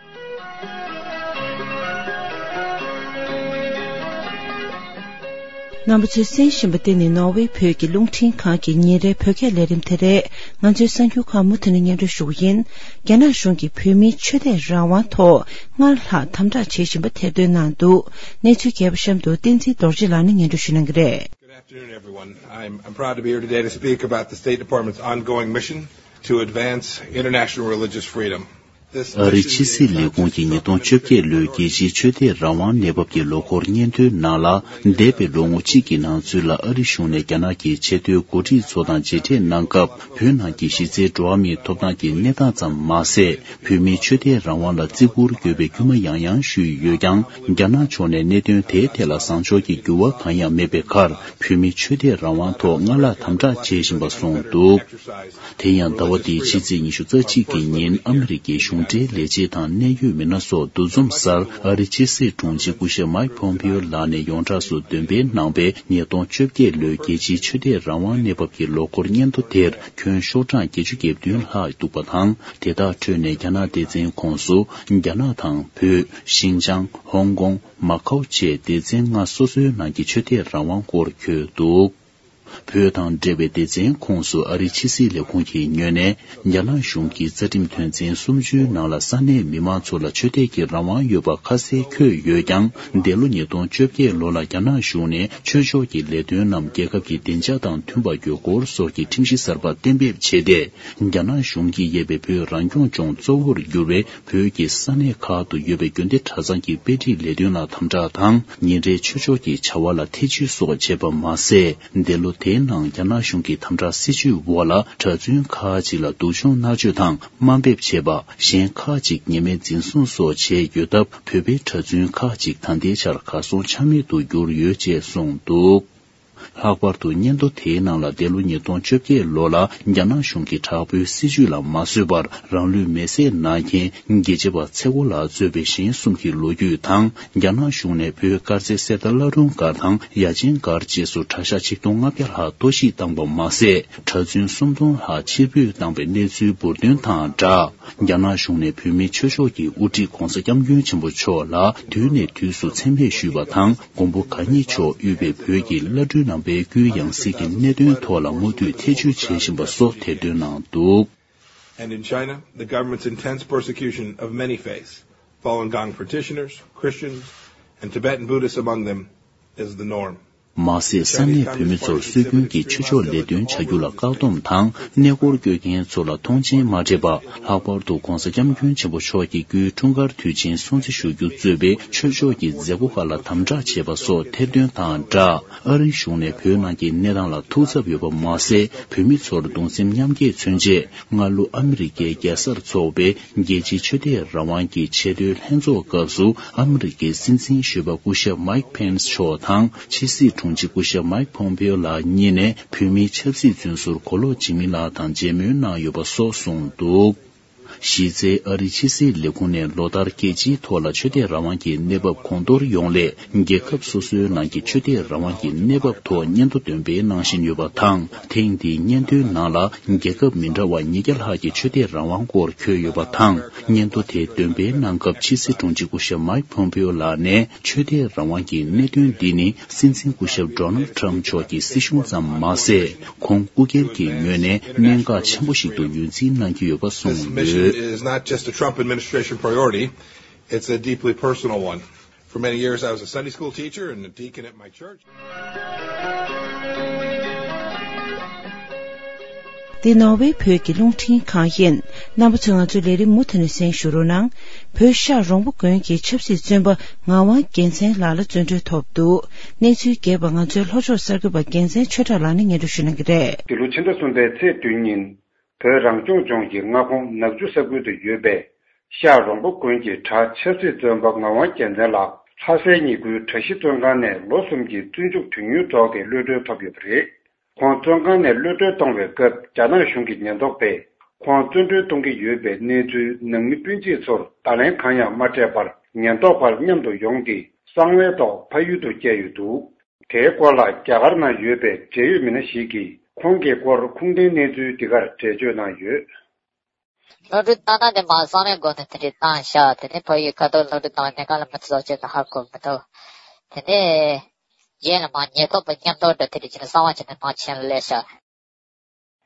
རྣམ་པ་ཚོས་གསན་བཞིན་པ་འདི་ནི་ནོར་ཝེ་བོད་ཀྱི་རླུང་འཕྲིན་ཁང་གི་ཉིན་རེའི་བོད་སྐད་ལས་རིམ་དེ་རེད། ང་ཚོའི་གསར་འགྱུར་ཁག་མུ་མཐུད་ནས་སྙན་སྒྲོན་ཞུ་གི་ཡིན། རྒྱ་ནག་གཞུང་གིས་བོད་མིའི་ཆོས་དད་རང་དབང་ཐོག་སྔར་ལྷག་དམ་དྲག་བྱེད་བཞིན་པ་ཐེར་འདོན་གནང་འདུག་གནས་ཚུལ་རྒྱས་པ་གཤམ་དུ་བསྟན་འཛིན་རྡོ་རྗེ་ལགས་ནས་སྙན་སྒྲོན་ཞུ་གནང་གི་རེད། Good afternoon, everyone. I'm, I'm proud to be here today to speak about the State Department's ongoing mission to advance international religious freedom. ཨ་རིའི་ཕྱི་སྲིད་ལས་ཁུངས་ཀྱིས་ཉིས་སྟོང་བཅོ་བརྒྱད་ལོའི་རྒྱལ་སྤྱིའི་ཆོས་དད་རང་དབང་གནས་བབ་ཀྱི་ལོ་འཁོར་སྙན་ཐོའི་ནང་ལ། འདས་པའི་ལོ་ངོ་གཅིག་གི་ནང་ཚུད་ལ་ཨ་རི་གཞུང་ནས་རྒྱ་ནག་གི་ཆེས་མཐོའི་འགོ་ཁྲིད་ཚོ་དང་མཇལ་འཕྲད་གནང་སྐབས། བོད་ནང་གི་གཞི་རྩའི་འགྲོ་བ་མིའི་ཐོབ་ཐང་གི་གནས་སྟངས་ཙམ་མ་ཟད། བོད་མིའི་ཆོས་དད་རང་དབང་ལ་བརྩི་བཀུར་དགོས་པའི་སྐུལ་མ་ཡང་ཡང་ཞུས་ཡོད་ཀྱང་། རྒྱ་ནག་ཕྱོགས་ནས་གནད་དོན་དེའི་ཐད་ལ་བཟང་ཕྱོགས་ཀྱི་འགྱུར་བ་གང་ཡང་མེད་པའི་ཁར། བོད་མིའི་ཆོས་དད་རང་དབང་ཐོག་སྔར་ལྷག་དམ་དྲག་བྱེད་བཞིན་པ་གསུངས་འདུག་དེ་ཡང་ཟླ་བ་འདིའི་ཕྱི་ཚེས་ཉི་ཤུ་རྩ་གཅིག་གི་ཉིན་ཨ་མི་རི་ཀའི་གཞུང་འབྲེལ་ལས་བྱེད་དང་གནད་ཡོད་མི་སྣ་སོགས་འདུ་འཛོམས་སར་ཨ་རིའི་ཕྱི་སྲིད་དྲུང་ཆེ་སྐུ་ཞབས་མཱིག་ཕོམ་པིའོ་ལགས་ནས་ཡོངས་གྲགས་སུ་འདོན་སྤེལ་གནང་བའི་ཉིས་སྟོང་བཅོ་བརྒྱད་ལོའི་རྒྱལ་སྤྱིའི་ཆོས་དད་རང་དབང་གནས་བབ་ཀྱི་ལོ་འཁོར་སྙན་ཐོ་དེར་ཁྱོན་ཤོག་གྲངས་བརྒྱད་ཅུ་གྱ་བདུན་ལྷག་འདུག་པ་དང་། དེ་དག་ཁྲོད་ནས་རྒྱ་ནག་སྡེ་ཚན་ཁོངས་སུ་རྒྱ་ནག་དང་བོད། ཤིན་ཅང་། ཧོང་ཀོང་། མ་ཁའོ་བཅས་སྡེ་ཚན་ལྔ་སོ་སོའི་ནང་གི་ཆོས་དད་རང་དབང་སྐོར་འཁོད་འདུག་བོད་དང་འབྲེལ་བའི་སྡེ་ཚན་ཁོངས་སུ་ཨ་རིའི་ཕྱི་སྲིད་ལས་ཁུངས་ཀྱི་ངོས་ནས། རྒྱ་ནག་གཞུང་གིས་རྩ་ཁྲིམས་དོན་ཚན་སུམ་ཅུའི་ནང་ལ་ས་གནས་མི་མང་ཚོ་ལ་ཆོས་དད་ཀྱི་རང་དབང་ཡོད་པ་ཁ་གསལ་འཁོད་ཡོད་ཀྱང་། འདས་ལོ་ཉིས་སྟོང་བཅོ་བརྒྱད་ལོ་ལ་རྒྱ་ནག་གཞུང་ནས་ཆོས་ཕྱོགས་ཀྱི་ལས་དོན་རྣམས་རྒྱལ་ཁབ་ཀྱི་བདེ་འཇགས་དང་མཐུན་པར་གྱུར་སྐོར་སོགས་ཀྱི་ཁྲིམས་གཞི་གསར་པ་གཏན་འབེབས་བྱས་ཏེ། རྒྱ་ནག་གཞུང་གིས་དབྱེ་བའི་བོད་རང་སྐྱོང་ལྗོངས་གཙོ་བོར་གྱུར་བའི་བོད་ཀྱི་ས་གནས་ཁག་ཏུ་ཡོད་པའི་དགོན་སྡེ་གྲྭ་ཚང་གི་དཔེ་ཁྲིད་ལས་དོན་ལ་དམ་དྲག་དང་། ཉིན་རེའི་ཆོས་ཕྱོགས་ཀྱི་བྱ་བ་ལ་ཐེ་བྱུས་སོགས་བྱས་པ་མ་ཟད། འདས་ལོ་དེའི་ནང་རྒྱ་ནག་གཞུང་གི་དམ་དྲག་སྲིད་བྱུས་འོག་ལ་གྲྭ་བཙུན་ཁག་ཅིག་ལ་སྡུག་སྦྱོང་མནར་གཅོད་དང་དམའ་འབེབས་བྱས་པ། གཞན་ཁག་ཅིག་ཉེས་མེད་འཛིན་བཟུང་སོགས་བྱས་ཡོད་སྟབས། བོད་པའི་གྲྭ་བཙུན་ཁག་ཅིག་ད་ལྟའི་ཆར་གར་སོང་ཆ་མེད་དུ་གྱུར་ཡོད་ཅེས་གསུངས་འདུག་ལྷག་པར་དུ་སྙན་ཐོ་དེའི་ནང་ལ་འདས་ལོ་ཉིས་སྟོང་བཅོ་བརྒྱད་ལོ་ལ་རྒྱ་ནག་གཞུང་གིས་དྲག་པོའི་སྲིད་བྱུས་ལ་མ་བཟོད་པར་རང་ལུས་མེར་སྲེག་གནང་མཁན་རྒྱལ་གཅེས་པ་ཚེ་བརྐོ་ལགས་གཙོས་པའི་གཞན་གསུམ་གྱི་ལོ་རྒྱུས་དང་། རྒྱ་ནག་གཞུང་ནས་བོད་དཀར་མཛེས་གསེར་རྟ་བླ་སྒྲོན་སྒར་དང་ཡ་ཆེན་སྒར་བཅས་སུ་གྲྭ་ཤག་ཆིག་སྟོང་ལྔ་བརྒྱ་ལྷག་གཏོར་བཤིག་བཏང་པ་མ་ཟད། གྲྭ་བཙུན་སུམ་སྟོང་ལྷག་ཕྱིར་འབུད་བཏང་པའི་གནས་ཚུལ་འབུར་ཐོན་དང་སྦྲགས། རྒྱ་ནག་གཞུང་ནས་བོད་མིའི་ཆོས་ཕྱོགས་ཀྱི་དབུ་ཁྲིད་༧གོང་ས་༧སྐྱབས་མགོན་ཆེན་པོ་མཆོག་ལ་དུས་ནས་དུས་སུ་མཚན་སྨད་ཞུས་པ་དང་། མགོན་པོ་གང་ཉིད་མཆོག་དབུས་པའི་བོད་ཀྱི་བླ་སྤྲུལ་རྣམ་པའི་སྐུའི་ཡང་སྲིད་ཀྱི་གནད་དོན་ཐོག་ལ་མུ་མཐུད་ཐེ་བྱུས་བྱེད་བཞིན་པ་སོགས་ཐེར་འདོན་གནང་འདུག And in China, the government's intense persecution of many faiths, Falun Gong practitioners, Christians, and Tibetan Buddhists among them, is the norm. མ་ཟད། ས་གནས་བོད་མི་ཚོར་སྲོལ་རྒྱུན་གྱི་ཆོས་ཕྱོགས་ལས་དོན་བྱ་རྒྱུ་ལ་བཀག་སྡོམ་དང་། གནས་སྐོར་སྐྱོད་མཁན་ཚོ་ལ་མཐོང་མཆན་མ་སྤྲད་པ། ལྷག་པར་དུ་༧གོང་ས་༧སྐྱབས་མགོན་ཆེན་པོ་མཆོག་གི་སྐུའི་འཁྲུངས་སྐར་དུས་ཆེན་སྲུང་བརྩི་ཞུ་རྒྱུ་གཙོས་པའི་ཆོས་ཕྱོགས་ཀྱི་མཛད་སྒོ་ཁག་ལ་དམ་དྲག་བྱས་པ་སོགས་ཐེར་འདོན་དང་སྦྲགས། ཨ་རིའི་གཞུང་ནས་བོད་ནང་གི་གནས་སྟངས་ལ་ཐུགས་འཚབ་ཡོད་པ་མ་ཟད། བོད་མི་ཚོར་གདུང་སེམས་མཉམ་སྐྱེད་མཚོན་ཆེད། སྔ་ལོ་ཨ་མི་རི་ཀའི་རྒྱལ་སར་འཚོགས་པའི་རྒྱལ་སྤྱིའི་ཆོས་དད་རང་དབང་གི་ཆེས་མཐོའི་ལྷན་ཚོགས་སྐབས་སུ། ཨ་མི་རི་ཀའི་སྲིད་འཛིན་གཞོན་པ་སྐུ་ཞབས་མཱིག་ཕེན་སི་མཆོག་དང་། ཕྱི་སྲིད་དྲུང་ཆེ་སྐུ་ཞབས་མཱིག་ཕོམ་པེའོ་ལགས་གཉིས་ནས་བོད་མིའི་ཆབ་སྲིད་བཙོན་ཟུར་གོ་ལོག་འཇིགས་མེད་ལགས་དང་མཇལ་མོལ་གནང་ཡོད་པ་སོགས་གསུངས་འདུག་གཞི་རྩའི་ཨ་རིའི་ཕྱི་སྲིད་ལས་ཁུངས་ནས་ལོ་ལྟར་རྒྱལ་སྤྱིའི་ཐོག་ལ་ཆོས་དད་རང་དབང་གི་གནས་བབ་གོང་མཐོར་ཡོང་སླད། རྒྱལ་ཁབ་སོ་སོའི་ནང་གི་ཆོས་དད་རང་དབང་གི་གནས་བབ་ཐོག་སྙན་ཐོ་འདོན་སྤེལ་གནང་བཞིན་ཡོད་པ་དང་། ཐེངས་འདིའི་སྙན་ཐོའི་ནང་ལ་རྒྱལ་ཁབ་མི་འདྲ་བ་ཉིས་བརྒྱ་ལྷག་གི་ཆོས་དད་རང་དབང་སྐོར་འཁོད་ཡོད་པ་དང་། སྙན་ཐོ་དེ་འདོན་སྤེལ་གནང་སྐབས་ཕྱི་སྲིད་དྲུང་ཆེ་སྐུ་ཞབས་མཱིག་ཕོམ་པེའོ་ལགས་ནས། ཆོས་དད་རང་དབང་གི་གནད་དོན་འདི་ནི་སྲིད་འཛིན་སྐུ་ཞབས་ཌོ་ནལ་ཊམ་མཆོག་གི་སྲིད་གཞུང་ཙམ་མ་ཟད། ཁོང་སྐུ་སྒེར་གྱི་ངོས་ནས་གནད་འགག་ཆེན་པོ་ཞིག་ཏུ་ངོས་འཛིན་གནང་གི་ཡོད་པ་གསུངས་ཡོད། This mission is not just a Trump administration priority, it's a deeply personal one. For many years, I was a Sunday school teacher and a deacon at my church. འདི་ནོར་ཝེ་བོད་ཀྱི་རླུང་འཕྲིན་ཁང་ཡིན། རྣམ་པ་ཚོས་ང་ཚོའི་ལས་རིམ་མུ་མཐུད་ནས་གསན་ཞུ་རོགས་གནང་། བོད་ཤག་རོང་པོ་དགོན་གྱི་ཆབ་སྲིད་བཙོན་པ་ངག་དབང་རྒྱལ་མཚན་ལགས་ལ་བཙོན་གྲོལ་ཐོབ་འདུག་གནས་ཚུལ་རྒྱས་པ་ང་ཚོའི་ལྷོ་ཕྱོགས་གསར་འགོད་པ་རྒྱལ་མཚན་ཆོས་གྲགས་ལགས་ནས་སྙན་སྒྲོན་ཞུ་གནང་གི་རེད། འདི་ལོ་ཕྱི་ཟླ་གསུམ་པའི་ཚེས་བདུན་ཉིན། བོད་རང་སྐྱོང་ལྗོངས་ཀྱི་མངའ་ཁོངས་ནག་ཆུ་ས་ཁུལ་དུ་ཡོད་པའི་ཤག་རོང་པོ་དགོན་གྱི་གྲྭ་ཆབ་སྲིད་བཙོན་པ་ངག་དབང་རྒྱལ་མཚན་ལགས་ལྷ་སའི་ཉིན་དགུའི་གྲྭ་བཞི་བཙོན་ཁང་ནས་ལོ་གསུམ་གྱི་བཙོན་འཇུག་དོན་གཉེར་སྒྲོག་སྟེ་གློད་གྲོལ་ཐོབ་ཡོད་པ་རེད། ཁོང་བཙོན་ཁང་ནས་གློད་གྲོལ་གཏོང་བའི་སྐབས་རྒྱ་ནག་གཞུང་གི་ཉེན་རྟོག་པས་ཁོང་བཙོན་གྲོལ་གཏོང་གི་ཡོད་པའི་གནས་ཚུལ་ནང་མི་སྤུན་མཆེད་ཚོར་བརྡ་ལན་གང་ཡང་མ་སྤྲད་པར་ཉེན་རྟོག་པར་མཉམ་དུ་ཡོང་སྟེ་གསང་བའི་ཐོག་ཕ་ཡུལ་དུ་བསྐྱལ་ཡོད་འདུག་དེའི་སྐོར་ལ་རྒྱ་གར་ནང་ཡོད་པའི་འབྲེལ་ཡོད་མི་སྣ་ཞིག་གིས་ཁོང་གི་སྐོར་ཁུངས་ལྡན་གནས་ཚུལ་འདི་གར་འགྲེལ་བརྗོད་གནང་ཡོད། གློད་གྲོལ་བཏང་ན་དེ་མ་གསང་བའི་སྒོ་ནས་དེ་འདྲའི་བཏང་བཞག་དེ་ནས་ཕ་ཡུལ་ཁ་ཐོག་གློད་གྲོལ་བཏང་བའི་གནས་སྟངས་ལ་མི་ཚོ་ཅེས་ཧ་གོ་མི་ཐུབ། དེ་ནས་རྗེས་ལ་མ་ཉེན་རྟོག་པ་མཉམ་དུ་འགྲོ་དེ་འདྲ་བྱས་ནས་གསང་བ་བྱས་ནས་མ་བྱས་ལས་བཞག་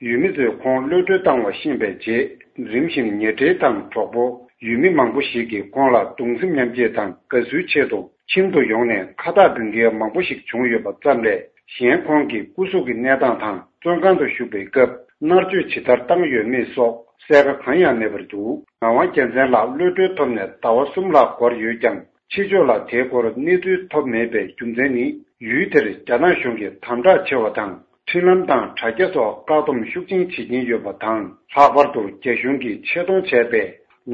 ཡུལ་མི་ཚོས་ཁོང་གློད་གྲོལ་བཏང་བ་ཤེས་པའི་རྗེས་རིམ་བཞིན་ཉེ་འབྲེལ་དང་གྲོགས་པོ་ཡུལ་མི་མང་པོ་ཞིག་གིས་ཁོང་ལ་གདུང་སེམས་མཉམ་སྐྱེད་དང་དགའ་བསུའི་ཆེད་དུ་ཁྱིམ་དུ་ཡོང་ནས་ཁ་བཏགས་འབུལ་མཁན་མང་པོ་ཞིག་བྱུང་ཡོད་པ་ཙམ་ལས་གཞན་ཁོང་གི་སྐུ་གཟུགས་ཀྱི་གནས་སྟངས་དང་བཙོན་ཁང་དུ་བཞུགས་པའི་སྐབས་མནར་གཅོད་ཇི་ལྟར་བཏང་ཡོད་མེད་སོགས་གསལ་ཁ་གང་ཡང་མེད་པར་འདུག་ངག་དབང་རྒྱལ་མཚན་ལགས་གློད་གྲོལ་ཐོབ་ནས་ཟླ་བ་གསུམ་ལྷག་འགོར་ཡོད་ཀྱང་ཕྱི་ཕྱོགས་ལ་དེའི་སྐོར་གནས་ཚུལ་ཐོབ་མེད་པའི་རྒྱུ་མཚན་ནི་ཡུལ་དེར་རྒྱ་ནག་གཞུང་གིས་དམ་དྲག་ཆེ་བ་དང་། འཕྲིན་ལམ་དང་དྲ་རྒྱ་སོགས་བཀག་སྡོམ་ཤུགས་ཆེན་བྱེད་ཀྱིན་ཡོད་པ་དང་། ལྷག་པར་དུ་རྒྱ་གཞུང་གིས་ཆེད་གཏོང་བྱས་པའི་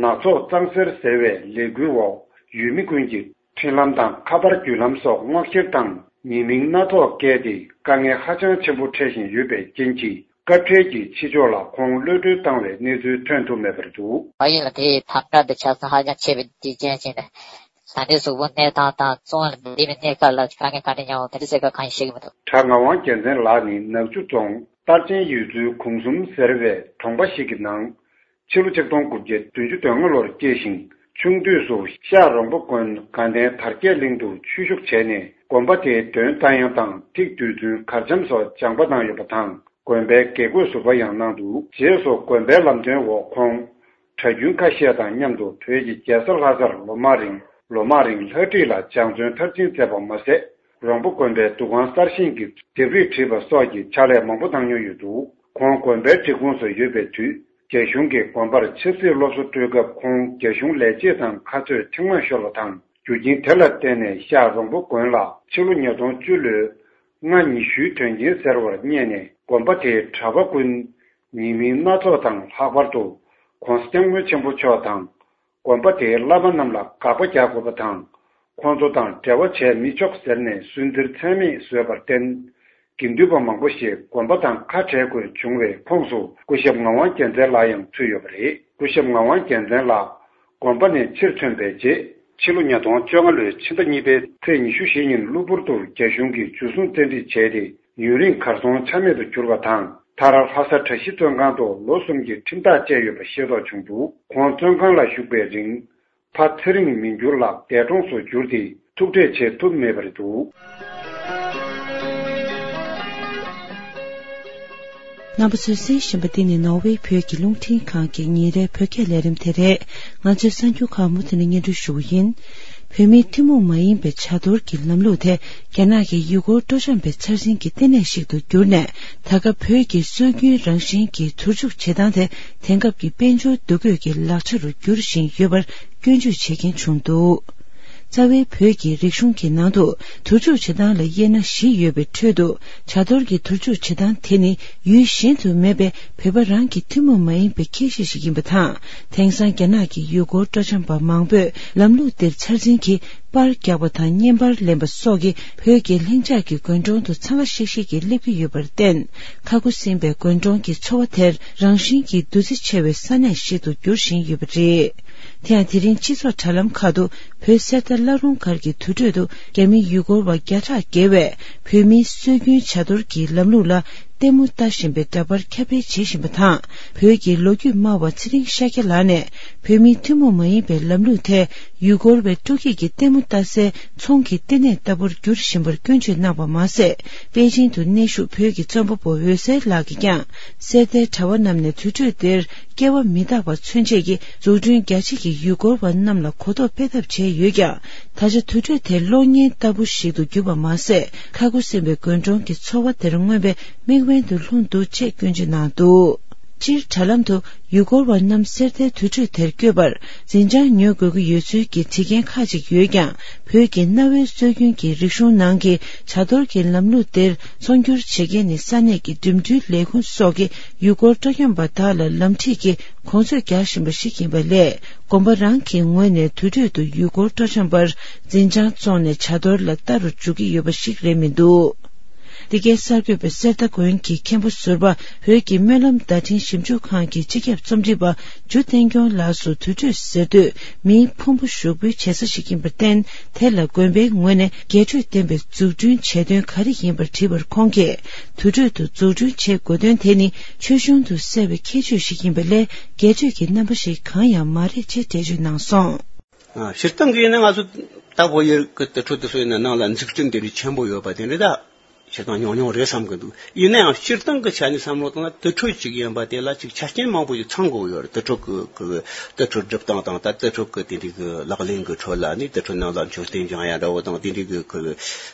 ནག་ཚོགས་གཙང་སེལ་ཟེར་བའི་ལས་འགུལ་འོག་ཡུལ་མི་ཀུན་གྱི་འཕྲིན་ལམ་དང་ཁ་པར་བརྒྱུད་ལམ་སོགས་སྔོག་བཤེར་དང་ཉེས་མིང་སྣ་ཚོགས་བཀལ་ཏེ་དཀའ་ངལ་ཧ་ཅང་ཆེན་པོ་འཕྲད་བཞིན་ཡོད་པའི་རྐྱེན་གྱིས་སྐབས་འཕྲལ་གྱི་ཕྱི་ཕྱོགས་ལ་ཁོང་གློད་གྲོལ་བཏང་བའི་གནས་ཚུལ་ཐོན་ཐུབ་མེད་པར་འདུག་ཕ་ཡུལ་ལ་དེའི་དམ་དྲག་དེ་ཆ་ཚང་ཧ་ཅང་ཆེ་བའི་རྒྱུ་རྐྱེན་ཅིག་ནས། ད་ལྟའི་གཟུགས་པོ་གནས་སྟངས་དང་བཙོན་ལ་བསྡད་པའི་གནས་སྐབས་ལ་དཀའ་ངལ་ག་འདྲ་མྱོང་དེ་འདྲ་ཟེར་སྐབས་གང་ཡང་ཤེས་ཀྱི་མི་འདུག་དྲ་ངག་དབང་རྒྱལ་མཚན་ལགས་ནི་ནག་ཆུ་རྫོང་རྟར་ཆེན་ཡུལ་ཚོའི་གུང་གསུམ་ཟེར་བའི་གྲོང་པ་ཞིག་གི་ནང་ཕྱི་ལོ་ཆིག་སྟོང་དགུ་བརྒྱ་བདུན་ཅུ་དོན་ལྔ་ལོར་སྐྱེས་ཤིང་ཆུང་དུས་སུ་ཤག་རོང་པོ་དགོན་དགའ་ལྡན་དར་རྒྱས་གླིང་དུ་ཆོས་ཞུགས་བྱས་ནས་དགོན་པ་དེའི་གདོན་རྟ་དབྱངས་དང་ཐིག་རྡུལ་ཚོན་གར་འཆམ་སོགས་སྦྱངས་པ་གནང་ཡོད་པ་དང་། དགོན་པའི་དགེ་བསྐོས་ཟུར་པ་ཡང་གནང་འདུག་རྗེས་སུ་དགོན་པའི་ལམ་སྟོན་འོག་ཁོང་གྲྭ་རྒྱུན་ཁ་ཤས་དང་མཉམ་དུ་བོད་ཀྱི་རྒྱལ་ས་ལྷ་སར་ལོ་མང་རིང་ལོ་མང་རིང་ལྷ་བྲིས་ལ་སྦྱང་བརྩོན་མཐར་ཕྱིན་མཛད་པ་མ་ཟད། རོང་པོ་དགོན་པའི་འདུ་ཁང་གསར་བཞེངས་ཀྱི་ལྡེབས་རིས་བྲིས་པ་སོགས་ཀྱི་ཕྱག་ལས་མང་པོ་གནང་མྱོང་ཡོད་འདུག་ཁོང་དགོན་པའི་སྒྲིག་ཁོངས་སུ་ཡོད་པའི་དུས་རྒྱ་གཞུང་གིས་དགོན་པར་ཆབ་སྲིད་སློབ་གསོ་སྤྲོད་སྐབས་ཁོང་རྒྱ་གཞུང་ལས་བྱེད་དང་ཁ་རྩོད་ཐེངས་མང་ཤོར་བ་དང་། རྒྱུ་རྐྱེན་དེ་ལ་བརྟེན་ནས་ཤག་རོང་པོ་དགོན་ལ་ཕྱི་ལོ་ཉིས་སྟོང་བཅུ་ལོའི་སྔ་ཉི་ཤུའི་དོན་རྐྱེན་ཟེར་བར་བསྙད་ནས་དགོན་པ་དེའི་གྲྭ་པ་ཀུན་ཉེས་མིང་སྣ་ཚོགས་དང་ལྷག་པར་དུ་༧གོང་ས་༧སྐྱབས་མགོན་ཆེན་པོ་མཆོག་དང་དགོན་པ་དེའི་བླ་མ་རྣམས་ལ་དགག་པ་རྒྱག་དགོས་པ་དང་། ཁོང་ཚོ་དང་འབྲེལ་བ་བྱས་མི་ཆོག་ཟེར་ནས་སུན་གཙེར་ཚད་མེད་བཟོས་པར་བརྟེན། དགེ་འདུན་པ་མང་པོ་ཞིག་དགོན་པ་དང་ཁ་བྲལ་དགོས་བྱུང་བའི་ཁོངས་སུ་སྐུ་ཞབས་ངག་དབང་རྒྱལ་མཚན་ལགས་ཡང་ཚུད་ཡོད་པ་རེད། སྐུ་ཞབས་ངག་དབང་རྒྱལ་མཚན་ལགས་དགོན་པ་ནས་ཕྱིར་ཐོན་པའི་རྗེས་ཕྱི་ལོ་ཉིས་སྟོང་བཅོ་ལྔ་ལོའི་ཕྱི་ཟླ་གཉིས་པའི་ཚེས་ཉི་ཤུ་རྩ་བཞི་ཉིན་གློ་བུར་དུ་རྒྱ་གཞུང་གིས་འཇུ་བཟུང་བཙན་ཁྲིད་བྱས་ཏེ་ཡུན་རིང་གར་སོང་ཆ་མེད་དུ་གྱུར་བ་དང་མཐར་ལྷ་ས་གྲྭ་བཞི་བཙོན་ཁང་དུ་ལོ་གསུམ་གྱི་ཁྲིམས་ཐག་བཅད་ཡོད་པ་ཤེས་རྟོགས་བྱུང་འདུག་ཁོང་བཙོན་ཁང་ལ་བཞུགས་པའི་རིང་། ཕ་ཚེ་རིང་མི་འགྱུར་ལགས་འདས་གྲོངས་སུ་གྱུར་ཏེ་ཐུག་འཕྲད་བྱེད་ཐུབ་མེད་པར་འདུག་རྣམ་པ་ཚོས་གསན་བཞིན་པ་འདི་ནི་ནོར་ཝེ་བོད་ཀྱི་རླུང་འཕྲིན་ཁང་གི་ཉིན་རེའི་བོད་སྐད་ལས་རིམ་དེ་རེད། ང་ཚོའི་གསར་འགྱུར་ཁག་མུ་མཐུད་ནས་སྙན་སྒྲོན་ཞུ་གི་ཡིན། བོད་མིའི་ཐུན་མོང་མ་ཡིན་པའི་བྱ་གཏོར་གྱི་ལམ་ལུགས་དེ་རྒྱ་ནག་གི་ཡུལ་སྐོར་སྤྲོ་འཆམ་པའི་འཆར་ཟིན་གྱི་ལྟེ་གནས་ཤིག་ཏུ་གྱུར་ནས། ད་སྐབས་བོད་ཀྱི་སྲོལ་རྒྱུན་རང་བཞིན་གྱི་དུར་འཇུག་བྱེད་སྟངས་དེ་དེང་སྐབས་ཀྱི་དཔལ་འབྱོར་འདུ་འགོད་ཀྱི་ལག་ཆ་རུ་འགྱུར་བཞིན་ཡོད་པར་སྐྱོན་བརྗོད་བྱེད་མཁན་བྱུང་འདུག་རྩ་བའི་བོད་ཀྱི་རིག་གཞུང་གི་ནང་དུ་དུར་འཇུག་བྱེད་སྟངས་ལ་དབྱེ་ན་བཞི་ཡོད་པའི་ཁྲོད་དུ། བྱ་གཏོར་གྱི་དུར་འཇུག་བྱེད་སྟངས་དེ་ནི་ཡུལ་གཞན་དུ་མེད་པའི་བོད་པ་རང་གི་ཐུན་མོང་མ་ཡིན་པའི་ཁྱད་གཤིས་ཤིག་ཡིན་པ་དང་། དེང་སང་རྒྱ་ནག་གི་ཡུལ་སྐོར་སྤྲོ་འཆམ་པ་མང་པོས་ལམ་ལུགས་འདིར་འཆར་ཟིན་གྱིས་པར་རྒྱག་པ་དང་བརྙན་པར་ལེན་པ་སོགས་ཀྱིས་བོད་ཀྱི་ལྷིང་འཇགས་ཀྱི་དགོན་གྲོང་དུ་འཚང་ཁ་ཤིག་ཤིག་གིས་སླེབས་ཀྱི་ཡོད་པར་བརྟེན། ཁ་ཁུ་སིམ་པའི་དགོན་གྲོང་གི་འཚོ་བ་དེར་རང་བཞིན་གྱིས་འདུ་འཛི་ཆེ་བའི་ས་གནས་ཤིག་ཏུ་འགྱུར་བཞིན་ཡོད་པ་རེད། དེ་ཡང་དེ་རིང་སྤྱི་ཚོགས་དྲ་ལམ་ཁག་ཏུ་བོད་གསེར་རྟ་བླ་རུང་སྒར་གྱི་དུར་ཁྲོད་དུ་རྒྱ་མི་ཡུལ་སྐོར་བ་བརྒྱ་ཕྲག་བརྒལ་བས་བོད་མིའི་སྲོལ་རྒྱུན་བྱ་གཏོར་གྱི་ལམ་ལུགས་ལ་ལྟད་མོ་ལྟ་བཞིན་པའི་འདྲ་པར་ཁྱབ་སྤེལ་བྱེད་བཞིན་པ་དང་། བོད་ཀྱི་ལོ་རྒྱུས་སྨྲ་བ་ཚེ་རིང་ཤཱཀྱ་ལགས་ནས་བོད་མིའི་ཐུན་མོང་མ་ཡིན་པའི་ལམ་ལུགས་དེ་ཡུལ་སྐོར་བའི་སྤྲོ་སྐྱིད་ཀྱི་ལྟད་མོ་ལྟ་སའི་ཚོང་གི་ལྟེ་གནས་ལྟ་བུར་འགྱུར་བཞིན་པར་སྐྱོན་བརྗོད་གནང་བ་མ་ཟད། པེ་ཅིང་དུ་གནས་བཞུགས་བོད་ཀྱི་རྩོམ་པ་པོ་འོད་ཟེར་ལགས་ཀྱིས་ཀྱང་གསེར་རྟའི་དྲ་བ་བསྣམས་ནས་དུར་ཁྲོད་དེར་སྐྱེ་བ་མི་རྟག་པ་མཚོན་ཆེད་ཀྱི་འཛུགས་སྐྲུན་རྒྱ་ཆེ་གི་ཡུལ་སྐོར་བ་རྣམས་ལ་གོ་རྟོགས་སྤེལ་ཐབས་བྱས་ཡོད་ཀྱང་། ད་ཆ་དུར་ཁྲོད་དེ་གློག་བརྙན་ལྟ་བུ་ཞིག་ཏུ་གྱུར་པ་མ་ཟད། ཁ་ཁུ་སིམ་པའི་དགོན་གྲོང་གི་འཚོ་བ་དེར་མངོན་པའི་མིག་དབེན་དུ་ལྷུང་འདུག་ཅེས་སྐྱོན་བརྗོད་གནང་འདུག་སྤྱིར་དྲ་ལམ་དུ་ཡུལ་སྐོར་བ་རྣམས་གསེར་རྟའི་དུར་ཁྲོད་དེར་བསྐྱོད་པར་འཛིན་བྱང་ཉོ་དགོས་ཀྱི་ཡོད་ཚུལ་གྱི་བྲིས་མཁན་ཁག་ཅིག་ཡོད་ཀྱང་། བོད་ཀྱི་གནའ་བོའི་སྲོལ་རྒྱུན་གྱི་རིག་གཞུང་ནང་གི་བྱ་དོར་གྱི་ལམ་ལུགས་འདིར་ཚོང་སྒྱུར་བྱེད་མཁན་ནི་ས་གནས་ཀྱི་འགྲིམ་འགྲུལ་ལས་ཁུངས་སོགས་ཀྱིས་ཡུལ་སྐོར་སྤྲོ་འཆམ་པ་དག་ལ་ལམ་ཁྲིད་ཀྱི་གོང་ཚད་རྒྱག་བཞིན་པ་ཞིག་ཡིན་པ་ལས། དགོན་པ་རང་གི་ངོས་ནས་དུར་ཁྲོད་དུ་ཡུལ་སྐོར་སྤྲོ་འཆམ་པར་འཛིན་བྱང་བཙོང་ནས་བྱ་དོར་ལ་ལྟ་རུ་འཇུག་གི་ཡོད་པ་ཞིག་རེད་མི་འདུག་འདི་གའི་གསར་འགོད་པས་གསེར་རྟ་དགོན་གྱི་མཁན་པོ་ཟུར་པ་བོད་ཀྱི་སྨོན་ལམ་བརྡ་འཕྲིན་ཞིབ་འཇུག་ཁང་གི་སྤྱི་ཁྱབ་རྩོམ་སྒྲིག་པ་འཇུ་བསྟན་སྐྱོང་ལགས་སུ། དུར་ཁྲོད་ཟེར་དུས་མིའི་ཕུང་པོ་བཞུགས་པོའི་བྱེད་ས་ཞིག་ཡིན་པར་བརྟེན། དེ་ལ་དགོན་པའི་ངོས་ནས་རྒྱས་སྤྲོས་ལྡན་པའི་འཛུགས་སྐྲུན་བྱེད་དོན་ག་རེ་ཡིན་པར་དྲིས་པར། ཁོང་གིས་དུར་ཁྲོད་དུ་འཛུགས་སྐྲུན་བྱེད་དགོས་དོན་དེ་ནི་ཆོས་གཞུང་དུ་གསལ་བའི་ཁྱད་ཆོས་ཤིག་ཡིན་པ་ལས། རྒྱས་སྤྲོས་ཀྱི་རྣམ་པ་ཞིག་གང་ཡང་མ་རེད་ཅེས་འགྲེལ་བརྗོད་གནང་སོང་། ཨ། སྤྱིར་བཏང་གི་ཡིན་ན་ང་ཚོ་ད་བོད་ཡུལ་གྱི་དུར་ཁྲོད་དེ་ཚོ་ཡིན་ན་ནང་ལ་འཛུགས་སྐྲུན་དེ་འདྲའི་ཆེན་པོ་ཡོད་པ་དེ་འདྲ་ད་སྤྱིར་བཏང་ཉུང་ཉུང་རེད་བསམ་གི་འདུག་ཡིན་ན་ཡང་སྤྱིར་བཏང་གི་ཆ་ནས་བསམ་བློ་བཏང་ན་དུར་ཁྲོད་ཅིག་ཡིན་པ་དེ་ལ་ཅིག་ཆ་རྐྱེན་མང་པོ་ཞིག་ཚང་དགོས་ཡོད་རེད། དུར་ཁྲོད་ཀྱི་ཀྱི་དུར་ཁྲོད་སྒྲུབ་སྟངས་དང་། ད་དུར་ཁྲོད་ཀྱི་དེ་འདྲའི་གི་ལག་ལེན་གྱི་ཁྲོད་ལ་ནི་དུར་ཁྲོད་ནང་ལ་མཆོད་རྟེན་བཞེངས་ཡ་འདྲ་བོ་དང་། དེ་འདྲའི་གི་ཁོ་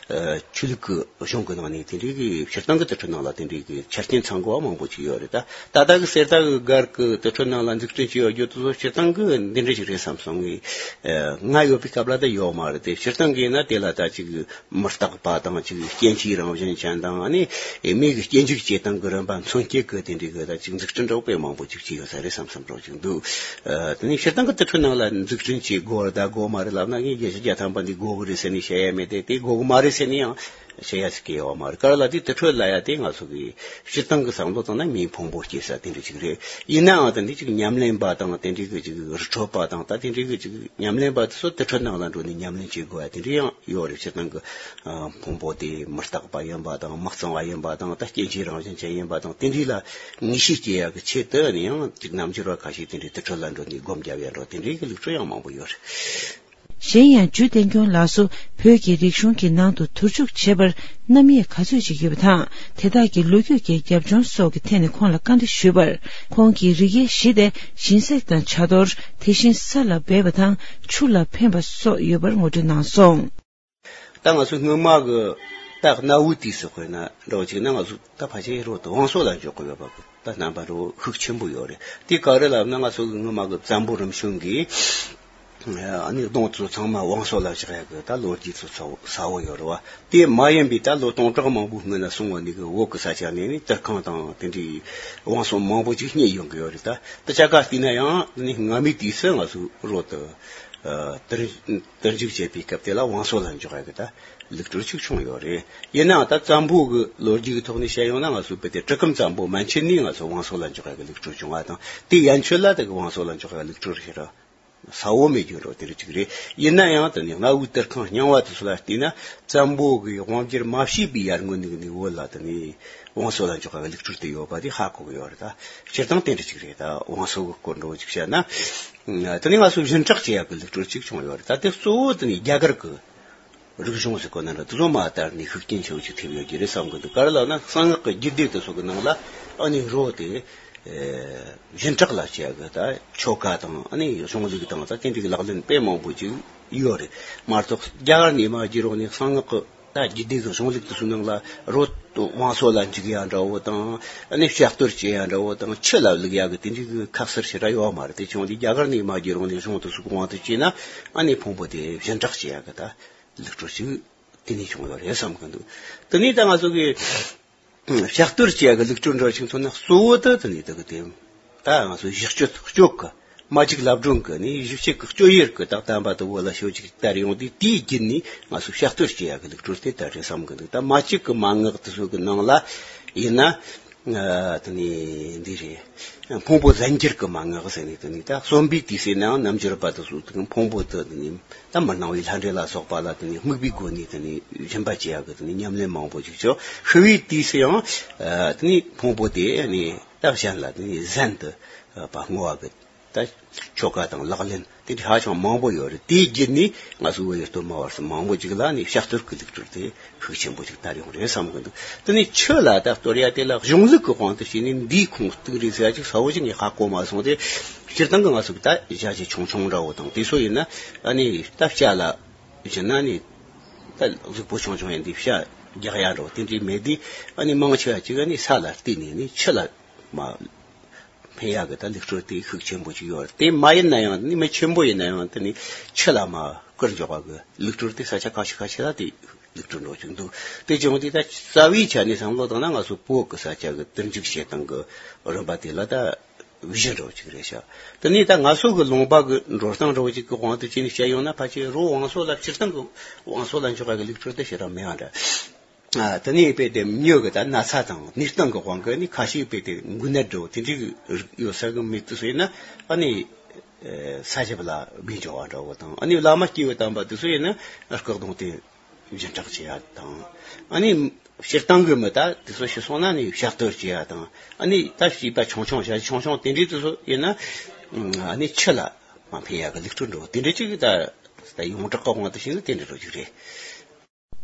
ཆོས་ལུགས་ཀྱི་གཞུང་གི་ནང་ནས་དེ་འདྲའི་གི་སྤྱིར་བཏང་གི་དུར་ཁྲོད་ནང་ལ་དེ་འདྲའི་གི་ཆ་རྐྱེན་ཚང་དགོས་པ་མང་པོ་ཅིག་ཡོད་རེད། ད་ད་ལྟ་གི་གསེར་རྟ་གི་སྒར་གི་དུར་ཁྲོད་ནང་ལ་འཛུགས་སྐྲུན་བྱས་ཡོད་རྒྱུ་དེ་ཚོ་སྤྱིར་བཏང་གི་འདི་འདྲ་ཞིག་རེད་བསམ་སོང་ངས། ང་ཡོད་པའི་སྐབས་ལ་ད་ཡོད་མ་རེད་དེ། སྤྱིར་བཏང་གི་ཡིན་ན་དེ་ལ་ད་ཅིག་མི་རྟག་པ་དང་། ཅིག་སྐྱེ་འཆིའི་རང་བཞིན་ཅན་དང་། ཨ་ནི་མི་གི་སྐྱེ་འཇིག་བྱེད་སྟངས་ཀྱི་རིམ་པ་མཚོན་བྱེད་ཀྱི་དེ་འདྲའི་གི་ད་ཅིག་འཛུགས་སྐྲུན་འདྲ་བོ་དཔེ་མང་པོ་ཅིག་བྱས་ཡོད་ས་རེད་བསམ་བསམ་འདྲ་བོ་ཅིག་འདུག་ཨ། དེ་ནས་སྤྱིར་བཏང་གི་དུར་ཁྲོད་ནང་ལ་འཛུགས་སྐྲུན་བྱེད་དགོས་རེད་ད་དགོས་མ་རེད་ལབ་ན། ངས་བརྒྱད་ཅུ་གྱ་ཐམ་པ་འདི་དགོས་གི་རེད་ཟེར་ནས་བཤད་ཡ་མེད་དེ། དེ་དགོས་གི་མ་རེད་ཟེར་ནས་ཡང་བཤད་ཡ་ཟེར་གི་ཡོད་མ་རེད། ག་རེ་ལབ་དུས་དུར་ཁྲོད་ལབ་ཡ་དེ་ང་ཚོ་གི་སྤྱིར་བཏང་གི་བསམ་བློ་བཏང་ན་མིའི་ཕུང་པོ་སྐྱེ་ས་དེ་འདྲ་ཅིག་རེད། ཡིན་ནའང་ད་འདི་ཅིག་ཉམས་ལེན་པ་དང་། དེ་འདྲའི་གི་ཅིག་རི་ཁྲོད་པ་དང་། ད་དེ་འདྲའི་གི་ཅིག་ཉམས་ལེན་པ་དེ་ཚོ་དུར་ཁྲོད་ནང་ལ་འགྲོ་ནས་ཉམས་ལེན་བྱེད་དགོས་ཡ་དེ་འདྲ་ཡང་ཡོད་རེད། སྤྱིར་བཏང་གི་ཕུང་པོ་དེ་མི་རྟག་པ་ཡིན་པ་དང་། མི་གཙང་བ་ཡིན་པ་དང་། ད་སྐྱེ་འཆིའི་རང་བཞིན་ཅན་ཡིན་པ་དང་། དེ་འདྲའི་ལ་ངེས་ཤེས་སྐྱེ་ཡ་གི་ཆེད་དུ་ནི་ཡང་ཅིག་རྣལ་འབྱོར་བ་ཁ་ཤས་དེ་འདྲའི་དུར་ཁྲོད་ལ་འགྲོ་ནས་སྒོམ་རྒྱབ་ཡ་འདྲ་བོ་དེ་འདྲའི་གི་ལུགས་སྲོལ་ཡང་མང་པོ་ཡོད་རེད། གཞན་ཡང་འཇུ་བསྟན་སྐྱོང་ལགས་སུ། བོད་ཀྱི་རིག་གཞུང་གི་ནང་དུ་དུར་འཇུག་བྱེད་པར་རྣམ་དབྱེ་ག་ཚོད་ཅིག་ཡོད་པ་དང་། དེ་དག་གི་ལོ་རྒྱུས་ཀྱི་རྒྱབ་ལྗོངས་སོགས་ཀྱི་ཐད་ནས་ཁོང་ལ་བཀའ་འདྲི་ཞུས་པར། ཁོང་གིས་རིགས་དབྱེ་བཞི་སྟེ། སྦྱིན་སྲེག་དང་བྱ་དོར། དེ་བཞིན་ས་ལ་སྦས་པ་དང་ཆུ་ལ་འཕེན་པ་སོགས་ཡོད་པར་ངོ་སྤྲོད་གནང་སོང་། ད་ང་ཚོ་སྔོན་མ་གི་ད་གནའ་བོའི་དུས་སུ་དཔེར་ན་འདྲ་བོ་ཅིག་ན། ང་ཚོ་ད་ཕལ་ཆེར་རོ་དང་བང་སོ་ལ་འཇོག་གི་ཡོད་པ་གི་ད་རྣམ་པ་རོ་ཤུགས་ཆེན་པོ་ཡོད་རེད། དེ་ག་རེ་ལབ་ན། ང་ཚོ་གི་སྔོན་མ་གི་བཙན་པོ་རིམ་བྱོན་གྱིས་ཨ་ནི་གདུང་ཚོ་ཚང་མ་བང་སོ་ལ་བཞག་ཡ་གི་ད་ལོ་རྒྱུས་ཚོ་གསལ་བོ་ཡོད་རེད་བ། དེ་མ་ཡིན་པའི་ད་ལོ་སྟོང་ཕྲག་མང་པོའི་སྔོན་ན་སོང་བ་ནས་གི་བོད་གི་ས་ཆ་ནས་ནི་དུར་ཁང་དང་དེ་འདྲའི་བང་སོ་མང་པོ་ཅིག་རྙེད་ཡོང་གི་ཡོད་རེད། ད་དེ་ཆ་ག་བལྟས་ན་ཡང་ནི་སྔ་མའི་དུས་སུ་ང་ཚོ་རོ་དུ་དུར་དུར་འཇུག་བྱེད་པའི་སྐབས་དེ་ལ་བང་སོ་ལ་འཇོག་ཡ་གི་ད་ལུགས་སྲོལ་ཅིག་བྱུང་ཡོད་རེད། ཡིན་ནའང་ད་བཙན་པོ་གི་ལོ་རྒྱུས་ཀྱི་ཐོག་ནས་བཤད་ཡོང་ན། ང་ཚོ་བོད་དེ་གྲི་གུམ་བཙན་པོ་མན་ཆད་ནས་ང་ཚོ་བང་སོ་ལ་འཇོག་ཡ་གི་ལུགས་སྲོལ་བྱུང་བ་དང་། དེ་ཡན་ཆོད་ལ་དེ་གི་བང་སོ་ལ་འཇོག་ཡ་གི་ལུགས་སྲོལ་ཞེ་དྲག་གསལ་བོ་མེད་རྒྱུ་འདྲ་བོ་དེ་རིགས་ཅིག་རེད། ཡིན་ན་ཡང་དེ་ནས་གནའ་བོའི་དུར་ཁང་རྙིང་བ་དེ་ཚོ་ལ་བལྟས་ན། བཙན་པོ་གི་དབང་སྒྱུར་མ་བྱས་པའི་ཡར་སྔོན་ནས་ནི་བོད་ལ་དེ་ནས་བང་སོ་ལ་འཇོག་ཡ་གི་ལུགས་སྲོལ་དེ་ཡོད་པ་དེ་ཧ་གོ་གི་ཡོད་རེད། ད་སྤྱིར་བཏང་དེ་འདྲ་ཅིག་རེད། ད་བང་སོ་གི་སྐོར་འདྲ་བོ་ཅིག་བཤད་ན། དེ་ནས་ང་ཚོ་སྦྱིན་བདག་བྱེད་ཡ་གི་ལུགས་སྲོལ་ཅིག་བྱུང་ཡོད་རེད། ད་དེ་གཙོ་བོ་དེ་ནས་རྒྱ་གར་གི་རིག་གཞུང་ཟེར་གོ་ན་འདྲ། དེ་ཚོ་མ་དར་ནས་ཤུགས་རྐྱེན་ཆེ་བོ་ཅིག་ཐེབས་ཡོད་ཀྱི་རེད་བསམ་གི་འདུག་ག་རེ་ལབ་ན། གསང་སྔགས་ཀྱི་རྒྱུད་སྡེ་དེ་ཚོ་གི་ནང་ལ་ཨ་ནི་རོ་དེ་སྦྱིན་བདག་ལ་བྱེད་ཡ་གི་ད་ཆོ་ག་དང་། ཨ་ནི་གཞུང་ལུགས་དང་། ད་དེ་འདྲའི་ལག་ལེན་དཔེ་མང་པོ་ཅིག་ཡོད་རེད་མ་གཏོགས། རྒྱ་གར་ནས་མར་བརྒྱུད་རོགས་ནས་གསང་སྔགས་ཀྱི་ད་རྒྱུད་སྡེ་གི་གཞུང་ལུགས་དེ་ཚོའི་ནང་ལ་རོ་བང་སོ་ལ་འཇུག་ཡ་འདྲ་བོ་དང་། ཨ་ནི་ཕྱག་བཏུར་བྱེད་ཡ་འདྲ་བོ་དང་། ཆུ་ལ་བླུག་ཡ་གི་དེ་འདྲའི་གི་ཁ་གསལ་ཞེ་དྲག་ཡོད་མ་རེད། དེ་བྱུང་དུས་རྒྱ་གར་ནས་མར་བརྒྱུད་རོགས་ནས་གཞུང་དེ་ཚོ་གི་དབང་དུ་བྱས་ན། ཨ་ནི་ཕུང་པོ་དེ་སྦྱིན་བདག་བྱེད་ཡ་གི་ད་ལུགས་སྲོལ་ཞིག་དེ་ནས་བྱུང་ཡོད་རེད་བསམ་གི་འདུག་དེ་ནས་ད་ང་ཚོ་གི་ཕྱག་བཏུར་བྱེད་ཡ་གི་ལུགས་སྲོལ་འདྲ་ཞིག་མཚོན་ན། གཙོ་བོ་དེ་དེ་ནས་དེ་གི་དེ་ད་ང་ཚོ་གཞི་སྤྱོད་སྤྱོད་གི་མ་གཅིག་ལབ་སྒྲོན་གི་ནི་གཞི་གཅིག་གི་སྤྱོད་ཡུལ་གི་ད་བསྟན་པ་དེ་བོད་ལ་ཕྱོགས་གཅིག་དར་ཡོང་དུས། དེའི་རྒྱུན་ནས་ང་ཚོ་ཕྱག་བཏུར་བྱེད་ཡ་གི་ལུགས་སྲོལ་དེ་དར་རེད་བསམ་གི་འདུག་ད་མ་གཅིག་གི་མན་ངག་དེ་ཚོ་གི་ནང་ལ་ཡིན་ན། ཨ། དེ་ནས་འདི་རེད། ཕུང་པོ་ཟན་སྒྱུར་གྱི་མན་ངག་ཟེར་ནས། དེ་ནས་ད་གསོན་པའི་དུས་སུ་ནའང་རྣལ་འབྱོར་པ་དེ་ཚོ་དེ་ཕུང་པོ་དེ་དེ་ནས་ད་མི་སྣང་བའི་ལྷ་འདྲེ་ལ་སོགས་པ་ལ་དེ་ནས་དམིགས་པའི་སྒོ་ནས་དེ་ནས་སྦྱིན་པ་བྱེད་ཡག་གི་དེ་ནས་ཉམས་ལེན་མང་པོ་ཅིག་བྱོས། ཤི་བའི་དུས་སུ་ཡང་། ཨ། དེ་ནས་ཕུང་པོ་དེ་ནས་ད་གཞན་ལ་དེ་ནས་ཟན་དུ་བསྔོ་བ་གི་ད་ཆོ་ག་དང་ལག་ལེན་དེ་འདྲ་ཧ་ཅང་མང་པོ་ཡོད་རེད། དེའི་རྒྱུད་ནས་ང་ཚོའི་བོད་ཡུལ་སྟོད་སྨད་བར་གསུམ་མང་པོ་ཅིག་ལ་ནི་ཕྱག་བཏུར་གྱི་ལུགས་སྲོལ་དེ་ཤུགས་ཆེན་པོ་ཅིག་དར་ཡོང་རེད་བསམ་གི་འདུག་དེ་ནས་ཆུ་ལ་ད་གཏོར་ཡ་དེ་ལ་གཞུང་ལུགས་ཀྱི་དབང་དུ་བྱས་ནས་འདིའི་ཁུངས་གཏུགས་རེད་ཟེར་ཡ་ཅིག་གསལ་བོ་ཅིག་ངས་ཧ་གོ་མ་སོང་སྟེ། སྤྱིར་བཏང་གི་ང་ཚོ་གི་ད་བྱ་བྱེད་ཆུང་ཆུང་འདྲ་བོ་དང་དེ་ཚོ་ཡིན་ན། ཨ་ནི་ད་བྱ་ལ་བྱིན་ན་ནི་ད་གཟུགས་པོ་ཆུང་ཆུང་ཡིན་དུས་བྱ་རྒྱག་ཡ་འདྲ་བོ་དེ་འདྲའི་མེད་དུས། ཨ་ནི་མང་ཆེ་བ་ཅིག་ཨ་ནི་ས་ལ་བརྟེན་ནས་ནི་ཆུ་ལ་མ། ཕན་ཡག་གི་ད་ལུགས་སྲོལ་དེ་ཤུགས་ཆེན་པོ་ཅིག་ཡོད་རེད། དེ་མ་ཡིན་ན་ཡང་ནི་མི་ཆེན་པོ་ཡིན་ན་ཡང་དེ་ནི་ཆུ་ལ་མར་བསྐུར་འཇོག་པ་གི་ལུགས་སྲོལ་དེ་ས་ཆ་ཁ་ཤས་ཁ་ཤས་ལ་དེ་ལུགས་སྲོལ་འགྲོ་བཅུག་འདུག་དེ་བྱུང་དུས་ད་རྩ་བའི་ཆ་ནས་བསམ་བློ་བཏང་ན་ང་ཚོ་བོད་ཀྱི་ས་ཆ་གི་དུར་འཇུག་བྱེད་སྟངས་ཀྱི་རིམ་པ་དེ་ལ་ད་བི་ཞི་འདྲ་བོ་ཅིག་རེད་ཤག་དེ་ནས་ད་ང་ཚོ་གི་ལུང་པ་གི་འགྲོ་སྟངས་འདྲ་བོ་ཅིག་གི་དབང་དུ་བྱས་ནས་བཤད་ཡོང་ན་ཕལ་ཆེར་རི་བོ་བང་སོ་ལ་སྤྱིར་བཏང་གི་བང་སོ་ལ་འཇོག་པ་གི་ལུགས་སྲོལ་དེ་ཞེ་དྲག་མེད་པ་འདྲ། ཨ། དེ་ནས་དཔེ་དེ་མྱི་གི་ད་ན་ཚ་དང་གནས་སྟངས་ཀྱི་དབང་གིས་ནི་ཁ་ཤས་དཔེ་དེ་འགོས་ནད་འདྲ་བོ་དེ་འདྲའི་གི་ཡོད་ས་གི་མི་དེ་ཚོ་ཡིན་ན་ཨ་ནི་ས་ཞབས་ལ་སྦས་འཇོག་པ་འདྲ་བོ་དང་། ཨ་ནི་བླ་མ་སྐྱེས་བུ་དམ་པ་དེ་ཚོ་ཡིན་ན་སྐུ་གདུང་དེ་སྦྱིན་བདག་བྱེད་ཡ་དང་། ཨ་ནི་སྤྱིར་བཏང་གི་མི་ད་དེ་ཚོ་ཤི་སོང་ན་ནི་ཕྱག་བསྟོད་བྱེད་ཡ་དང་། ཨ་ནི་ད་བྱིས་པ་ཆུང་ཆུང་ཞག་ཆུང་ཆུང་དེ་འདྲའི་དེ་ཚོ་ཡིན་ན་ཨ་ནི་ཆུ་ལ་མར་འཕེན་ཡ་གི་ལུགས་སྲོལ་འདྲ་བོ་དེ་འདྲ་ཅིག་ད་ད་ཡོངས་གྲགས་ཀྱི་དབང་དུ་བྱས་ན་དེ་འདྲ་འདྲ་བོ་ཅིག་རེད།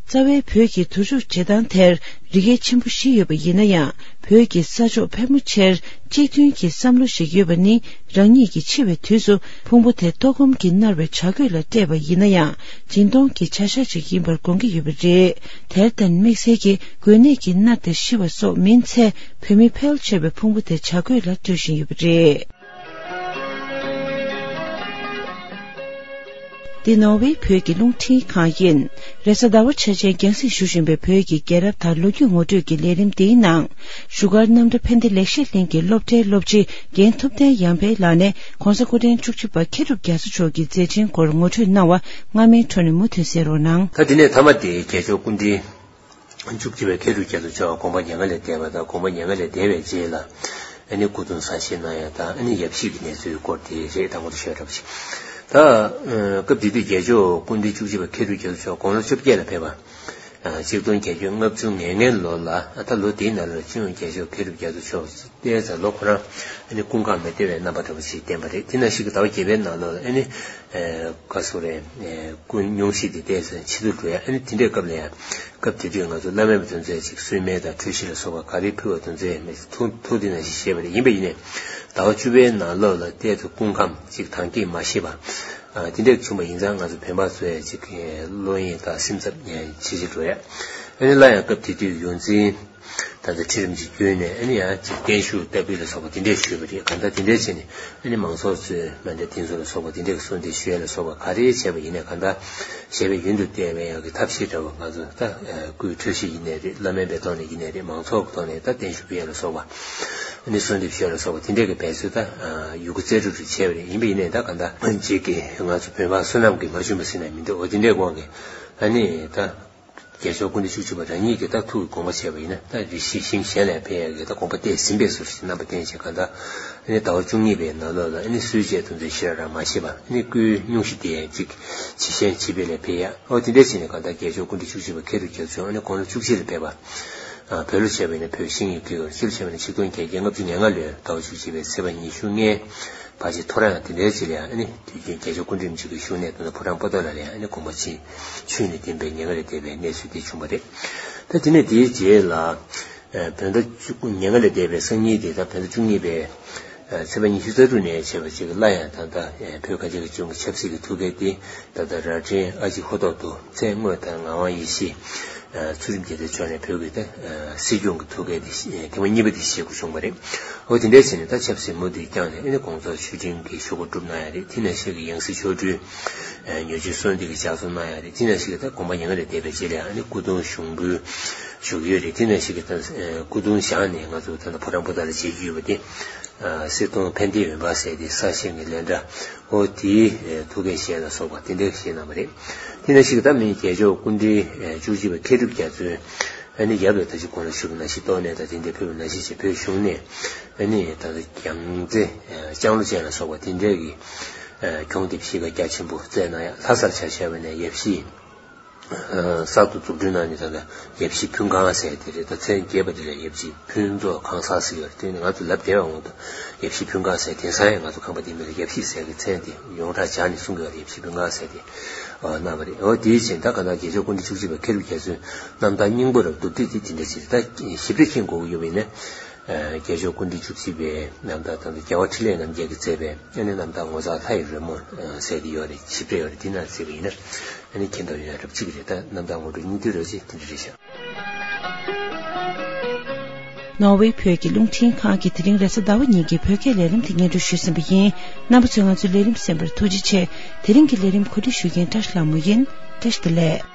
རྩ་བའི་བོད་ཀྱི་དུར་འཇུག་བྱེད་སྟངས་དེར་རིགས་འགལ་ཆེན་པོ་བཞི་ཡོད་པ་ཡིན་ན་ཡང་། བོད་ཀྱི་ས་ཕྱོགས་ཕལ་མོ་ཆེར་གཅིག་མཐུན་གྱི་བསམ་བློ་ཞིག་ཡོད་པ་ནི། རང་ཉིད་ཀྱིས་འཆི་བའི་དུས་སུ་ཕུང་པོ་དེ་ལྟོགས་སྐོམ་གྱིས་མནར་བའི་བྱ་རྒོད་ལ་སྤྲད་པ་ཡིན་ན་ཡང་། སྦྱིན་གཏོང་གི་བྱ་བཞག་ཅིག་ཡིན་པར་དགོངས་ཀྱི་ཡོད་པ་རེད། དེར་བརྟེན་དམིགས་བསལ་གྱིས་རྒོད་ནད་ཀྱིས་མནར་ཏེ་ཤི་བ་སོགས་མིན་ཚེ། བོད་མི་ཕལ་ཆེ་བའི་ཕུང་པོ་དེ་བྱ་རྒོད་ལ་སྤྲོད་བཞིན་ཡོད་པ་རེད། འདི་ནོར་ཝེ་བོད་ཀྱི་རླུང་འཕྲིན་ཁང་ཡིན། རེས་གཟའ་ཟླ་བ་འཆར་ཅན་རྒྱང་སྲིང་ཞུ་བཞིན་པའི་བོད་ཀྱི་རྒྱལ་རབས་དང་ལོ་རྒྱུས་ངོ་སྤྲོད་ཀྱི་ལས་རིམ་འདིའི་ནང་། བཞུགས་སྒར་རྣམ་གྲྭ་ཕན་བདེ་ལེགས་བཤད་གླིང་གི་སློབ་གྲྭའི་སློབ་སྤྱི་རྒན་ཐུབ་བསྟན་ཡར་འཕེལ་ལགས་ནས་༸གོང་ས་སྐུ་ཕྲེང་བཅུ་གཅིག་པ་མཁས་གྲུབ་རྒྱ་མཚོ་མཆོག་གི་མཛད་འཕྲིན་སྐོར་ངོ་སྤྲོད་གནང་བ། སྔ་མའི་འཕྲོ་ནས་མུ་མཐུད་གསན་རོགས་གནང་། ད་དེ་ནས་མཐའ་མ་དེ་རྒྱལ་མཆོག་སྐུ་ཕྲེང་བཅུ་གཅིག་པའི་མཁས་གྲུབ་རྒྱ་མཚོ་མཆོག་དགོངས་པ་མྱ་ངན་ལས་འདས་པ་དང་། དགོངས་པ་མྱ་ངན་ལས་འདས་པའི་རྗེས་ལ་ཨ་ནི་སྐུ་གདུང་གསར་བཞེངས་གནང་ཡ་དང་། ཨ་ནི་ཡབ་གཞིས་ཀྱི་གནས་ཚུལ་སྐོར་དེ་རེད། དང་པོ་དེ་ཤོད་གྲབས་ཤིག་ད་སྐབས་དེ་དུས་རྒྱལ་མཆོག་སྐུ་ཕྲེང་བཅུ་གཅིག་པ་མཁས་གྲུབ་རྒྱ་མཚོ་མཆོག་དགུང་ལོ་བཅོ་བརྒྱད་ལ་ཕེབས་པ། ཆིག་སྟོང་བརྒྱད་བརྒྱ་ལྔ་བཅུ་ང་ལྔའི་ལོ་ལ། ད་ལོ་དེའི་ནང་ལ་སྤྱི་ནོར་རྒྱལ་མཆོག་མཁས་གྲུབ་རྒྱ་མཚོ་མཆོག་བལྟས་ཙང་ལོ་ཁོ་རང་ཨ་ནི་སྐུ་ཁམས་མི་བདེ་བའི་རྣམ་པ་འདྲ་པོ་ཞིག་བསྟན་པ་རེད། དེ་ནང་བཞིན་གྱི་ཟླ་བ་བརྒྱད་པའི་ནང་ལོགས་ལ་ཨ་ནི། ཨེ། ག་སོ་རེད། ཨེ། སྐུ་སྙུང་གཞི་དེ་བལྟས་ཙང་ཕྱི་དུ་འགྲོ་ཡ། ཨ་ནི་དེ་འདྲའི་སྐབས་ལ་ཡང་། སྐབས་དེ་དུས་ང་ཚོ་བླ་མེད་པ་དེ་ཚོས་ཅིག་གསོལ་སྨན་དང་འཕྲོད་བཞེས་ལ་སོགས་པ་ག་རེ་ཕུལ་བ་དེ་ཚོ་ཡང་མི་ཐུགས་ཐུགས་དེ་ནང་བཞིན་བཞེས་པ་རེད། ཡིན་པ་ཡིན་ནའི་ཟླ་བ་བཅུ་པའི་ནང་ལོགས་ལ་བལྟས་ཙང་སྐུ་ཁམས་ཅིག་དྭངས་སྐྱེད་མ་ཤེས་པ། ཨ། དེ་འདྲ་བྱུང་བ་ཡིན་ཙང་ང་ཚོ་བོད་པ་ཚོ་ཡང་ཅིག་གི་བློ་གཡེང་དང་སེམས་འཚབ་ཡང་ཇེ་ཆེ་འགྲོ་ཡ། ཨ་ནི་སླར་ཡང་སྐབས་དེ་དུས་ཡོངས་འཛིན་ད་ལྟ་ཁྲི་རིན་པོ་ཆེ་བརྒྱུད་ནས་ཨ་ནི་ཡང་ཅིག་བརྟན་བཞུགས་བསྟར་འབུལ་ལ་སོགས་པ་དེ་འདྲས་ཞུས་པ་རེད། གང་ལྟར་དེ་འདྲས་བྱས་ནས་ཨ་ནི་མང་ཚོགས་ཚོས་མ་འདྲ་དེ་ཚོ་ལ་སོགས་པ་དེ་འདྲས་ཀྱི་གསོལ་འདེབས་ཞུ་ཡ་ལ་སོགས་པ་ག་རེ་བྱས་པ་ཡིན་ནའི། གང་ལྟར་བཞེད་པའི་ཡོན་དུ་བསྟན་པའི་ཡག་གི་ཐབས་ཤེས་འདྲ་བོ། ང་ཚོ་ད་སྐུའི་འཕྲོད་བཞེས་ཡིན་ནའི་རེད། བླ་སྨན་པའི་ཐོག་ནས་ཡིན་ནའི་རེད། མང་ཚོགས་ཀྱི་ཐོག་ནས་ད་བརྟན་བཞུགས་ཕུལ་ཡ་ལ་སོགས་པ། ཨ་ནི་གསོལ་འདེབས་ཞུ་ཡ་ལ་སོགས་པ་དེ་འདྲས་ཀྱི་འབད་རྩོལ་ད་ཡོད་རྒུ་རྩལ་སྤྲུགས་ཤིག་བྱས་པ་རེད། ཡིན་པ་ཡིན་ནའི་ད་གང་ལྟར་རྗེས་ཀྱི་ང་ཚོ་བོད་པ་བསོད་ནམས་ཀྱིས་མ་ཞུམ་པ་ཟེར་ན་མི་འདུག་འོ་དེ་འདྲའི་དབང་གིས་ཨ་ནི་ད་རྒྱལ་མཆོག་སྐུ་ཕྲེང་བཅུ་གཅིག་པ་རང་ཉིད་ཀྱིས་ད་ཐུགས་ཀྱི་དགོངས་པ་བཞེས་པ་ཡིན་ན། ད་རེ་ཞིག་ཞིང་གཞན་ལ་ཕེབས་ཡ་གི་ད་དགོངས་པ་གཏད་ཟིན་པའི་བཟོ་ཞིག་རྣམ་པ་བསྟན་བྱས། གང་ལྟར་ཨ་ནི་ཟླ་བ་བཅུ་གཉིས་པའི་ནང་ལོགས་ལ་ཨ་ནི་གསོལ་ཇའི་དོན་ཚན་ཞེ་དྲག་མ་བཞེས་པ། ཨ་ནི་སྐུའི་སྙུང་གཞི་དེ་ཅིག་ཇེ་ཞན་ཇེ་སྦས་ལ་ཕེབས་ཡ། འོ་དེ་འདྲ་བྱས་ནས་གང་ལྟར་རྒྱལ་མཆོག་སྐུ་ཕྲེང་བཅུ་གཅིག་པ་མཁས་གྲུབ་རྒྱ་མཚོ་ཨ་ནི་དགུང་ལོ་བཅུ་གཅིག་ལ་ཕེབས་པ། ཨ། བོད་ལོ་བྱས་པ་ཡིན་ན་བོད་ཤིང་ཡོས་ཀྱི་ཡོར་སྤྱིར་བྱས་པ་ཡིན་ན་ཆིག་སྟོང་བརྒྱད་བརྒྱ་ལྔ་བཅུ་ང་ལྔ་ལོའི་ཟླ་བ་བཅུ་གཅིག་པའི་ཚེས་པ་ཉི་ཤུ་ལྔའི་ཕལ་ཆེར་ཐོ་རངས་དེ་འདྲའི་ཅིག་ལ་ཡང་ཨ་ནི་དུས་རྒྱུན་རྒྱལ་མཆོག་སྐུ་ཕྲེང་རིམ་བྱོན་གྱི་བཞུགས་གནས་དེ་ཕོ་བྲང་པོ་ཏཱ་ལ་ལ་ཡང་ཨ་ནི་དགོངས་པ་ཆེན་ཆོས་ནས་བསྟན་པའི་མྱ་ངན་ལས་འདས་པའི་གནས་ཚུལ་དེ་བྱུང་བ་རེད། ད་དེ་ནས་དེའི་རྗེས་ལ། ཨ། བོད་ཟླ་བཅུ་མྱ་ངན་ལས་འདས་པའི་སང་ཉིན་དེ་ད་བོད་ཟླ་བཅུ་གཉིས་པའི་ཚེས་པ་ཉི་ཤུ་རྩ་དྲུག་ནས་བྱས་པ་ཅིག་སླར་ཡང་ད་ལྟ་བོད་གངས་ཅན་གྱི་ལྗོངས་ཀྱི་ཆབ་སྲིད་ཀྱི་ཐུགས་འགན་དེ་ད་ལྟ་རྭ་སྒྲེང་ཨ་ཅེ་ཧོ་ཐོག་ཏུ་མཚན་དངོས་དང་ངག་དབང་ཡེ་ཤེས། ཨ། ཚུལ་ཁྲིམས་རྒྱལ་མཚན་མཆོག་ནས་བོད་ཀྱི་ད་སྲིད་སྐྱོང་གི་ཐུགས་འགན་དེ་ཐེངས་མ་གཉིས་པ་དེ་བཞེས་དགོས་བྱུང་བ་རེད། འོ་དེ་འདྲ་བྱས་ནས་ད་ཆབ་སྲིད་མུ་མཐུད་བསྐྱངས་ནས་ཨ་ནི་དགོངས་རྫོགས་ཆོས་ཁྲིམས་ཀྱི་ཞུ་སྒོ་བསྒྲུབས་གནང་ཡ་རེད། དེ་ནང་བཞིན་གྱི་ཡང་སྲིད་ཆོ་འཕྲུལ་ཉོ་ཆུང་གསོལ་འདེབས་ཀྱི་ལྗགས་རྩོམ་གནང་ཡ་རེད། དེ་ནང་བཞིན་གྱི་ད་དགོངས་པ་མྱ་ངན་ལས་འདས་པའི་རྗེས་ལ་ཨ་ནི་སྐུ་གདུང་ཞུགས་འབུལ་ཞུ་གི་ཡོད་རེད། དེ་ནང་བཞིན་གྱི་ད་སྐུ་གདུང་བཞེངས་ནས་ང་ཚོ་ད་ལྟ་ཕོ་བྲང་པོ་ཏཱ་ལ་མཇལ་རྒྱུ་ཡོད་པ་དེ། ཨ། གསེར་གདུང་ཕན་བདེའི་འོད་འབར་ཟེར་དེ་གསར་བཞེངས་ཀྱི་ལས་འདྲ། འོ་དེའི་ཐུགས་འགན་བཞེས་ལ་སོགས་པ་དེ་འདྲ་བཞེས་གནང་བ་རེད། དེ་ནང་བཞིན་གྱི་ད་མི་རྒྱལ་མཆོག་སྐུ་ཕྲེང་བཅུ་གཅིག་པ་མཁས་གྲུབ་རྒྱ་མཚོས་ཨ་ནི་ཡབ་ལ་ད་ཅི་གོང་ལ་ཞུས་པ་ནང་བཞིན་ཏོག་ནས་ད་དེ་འདྲ་ཕེབས་པ་ནང་བཞིན་བྱས་བོད་གཞུང་ནས་ཨ་ནི་ད་ལྟ་རྒྱལ་རྩེ་ལྕང་ལོ་ཅན་ལ་སོགས་པ་དེ་འདྲའི་གི་གྱོང་རྒྱབ་གཞིས་ཀ་རྒྱ་ཆེན་པོ་བསྩལ་གནང་ཡ། ལྷ་སར་ཆ་བཞག་པ་ནས་ཡབ་གཞིས། ཨ། གསར་དུ་འཛུགས་སྐྲུན་གནང་ནས་ད་ལྟ་ཡབ་གཞིས་ཕུན་ཁང་ཟེར་དེ་རེད། ད་མཚན་རྒྱས་པ་དེ་ལ་ཡབ་གཞིས་ཕུན་ཚོགས་ཁང་གསར་ཟེར་གྱི་ཡོད་རེད། དེ་ནི་ང་ཚོ་ལབ་བདེ་བའི་དབང་དུ་ཡབ་གཞིས་ཕུན་ཁང་ཟེར། དེང་སང་ཡང་ང་ཚོ་ཁང་པ་དེ་མིང་ལ་ཡབ་གཞིས་ཟེར་གྱི་མཚན་དེ་ཡོངས་གྲགས་སྦྱར་ནས་གསུང་གི་ཡོད་རེད། ཡབ་གཞིས་ཕུན་ཁང་ཟེར་དེ་གནང་བ་རེད། འོ་དེའི་རྗེས་ད་ག་ན་རྒྱལ་མཆོག་སྐུ་ཕྲེང་བཅུ་གཅིག་པ་མཁས་གྲུབ་རྒྱ་མཚོའི་རྣམ་ཐར་སྙིང་པོ་རབ་བསྡུས་ཏེ་དེ་འདྲ་ཞིག་རེད། ད་ཞིབ་ཕྲ་མཁྱེན་དགོས་ཀྱི་ཡོད་པ་ཡིན་ན། ཨ། རྒྱལ་མཆོག་སྐུ་ཕྲེང་བཅུ་གཅིག་པའི་རྣམ་ཐར་དང་། རྒྱལ་བ་འཕྲིན་ལས་རྣམ་རྒྱལ་གྱིས་མཛད་པའི་ཨ་ནི་རྣམ་ཐར་ངོ་མཚར་ལྷ་ཡི་རོལ་མོ་ཟེར་དེ་ཡོད་རེད། ཞིབ་ཕྲ་ཡོད་རེད། དེ་ནང་གཟིགས་པ་ཡིན་ན་ཨ་ནི་མཁྱེན་རྟོགས་ཡོང་ཡ་རབ་ཅིག་རེད། ད་རྣམ་ཐར་ངོ་སྤྲོད་སྙིང་བསྡུས་རོ་ཞེས་དེ་འདྲ་རེད་ཤག་ནོར་ཝེ་བོད་ཀྱི་རླུང་འཕྲིན་ཁང་གིས་དེ་རིང་རེས་གཟའ་ཟླ་བ་ཉིན་གྱི་བོད་སྐད་ལས་རིམ་དེ་སྙན་སྒྲོན་ཞུས་ཟིན་པ་ཡིན། རྣམ་པ་ཚོས་ང་ཚོའི་ལས་རིམ་གསན་པར་ཐུགས་རྗེ་ཆེ། དེ་རིང་གི་ལས་རིམ་གོ་སྒྲིག་ཞུ་མཁན་བཀྲ་ཤིས་ལྷ་མོ་ཡིན། བཀྲ་ཤིས་བདེ་ལེགས།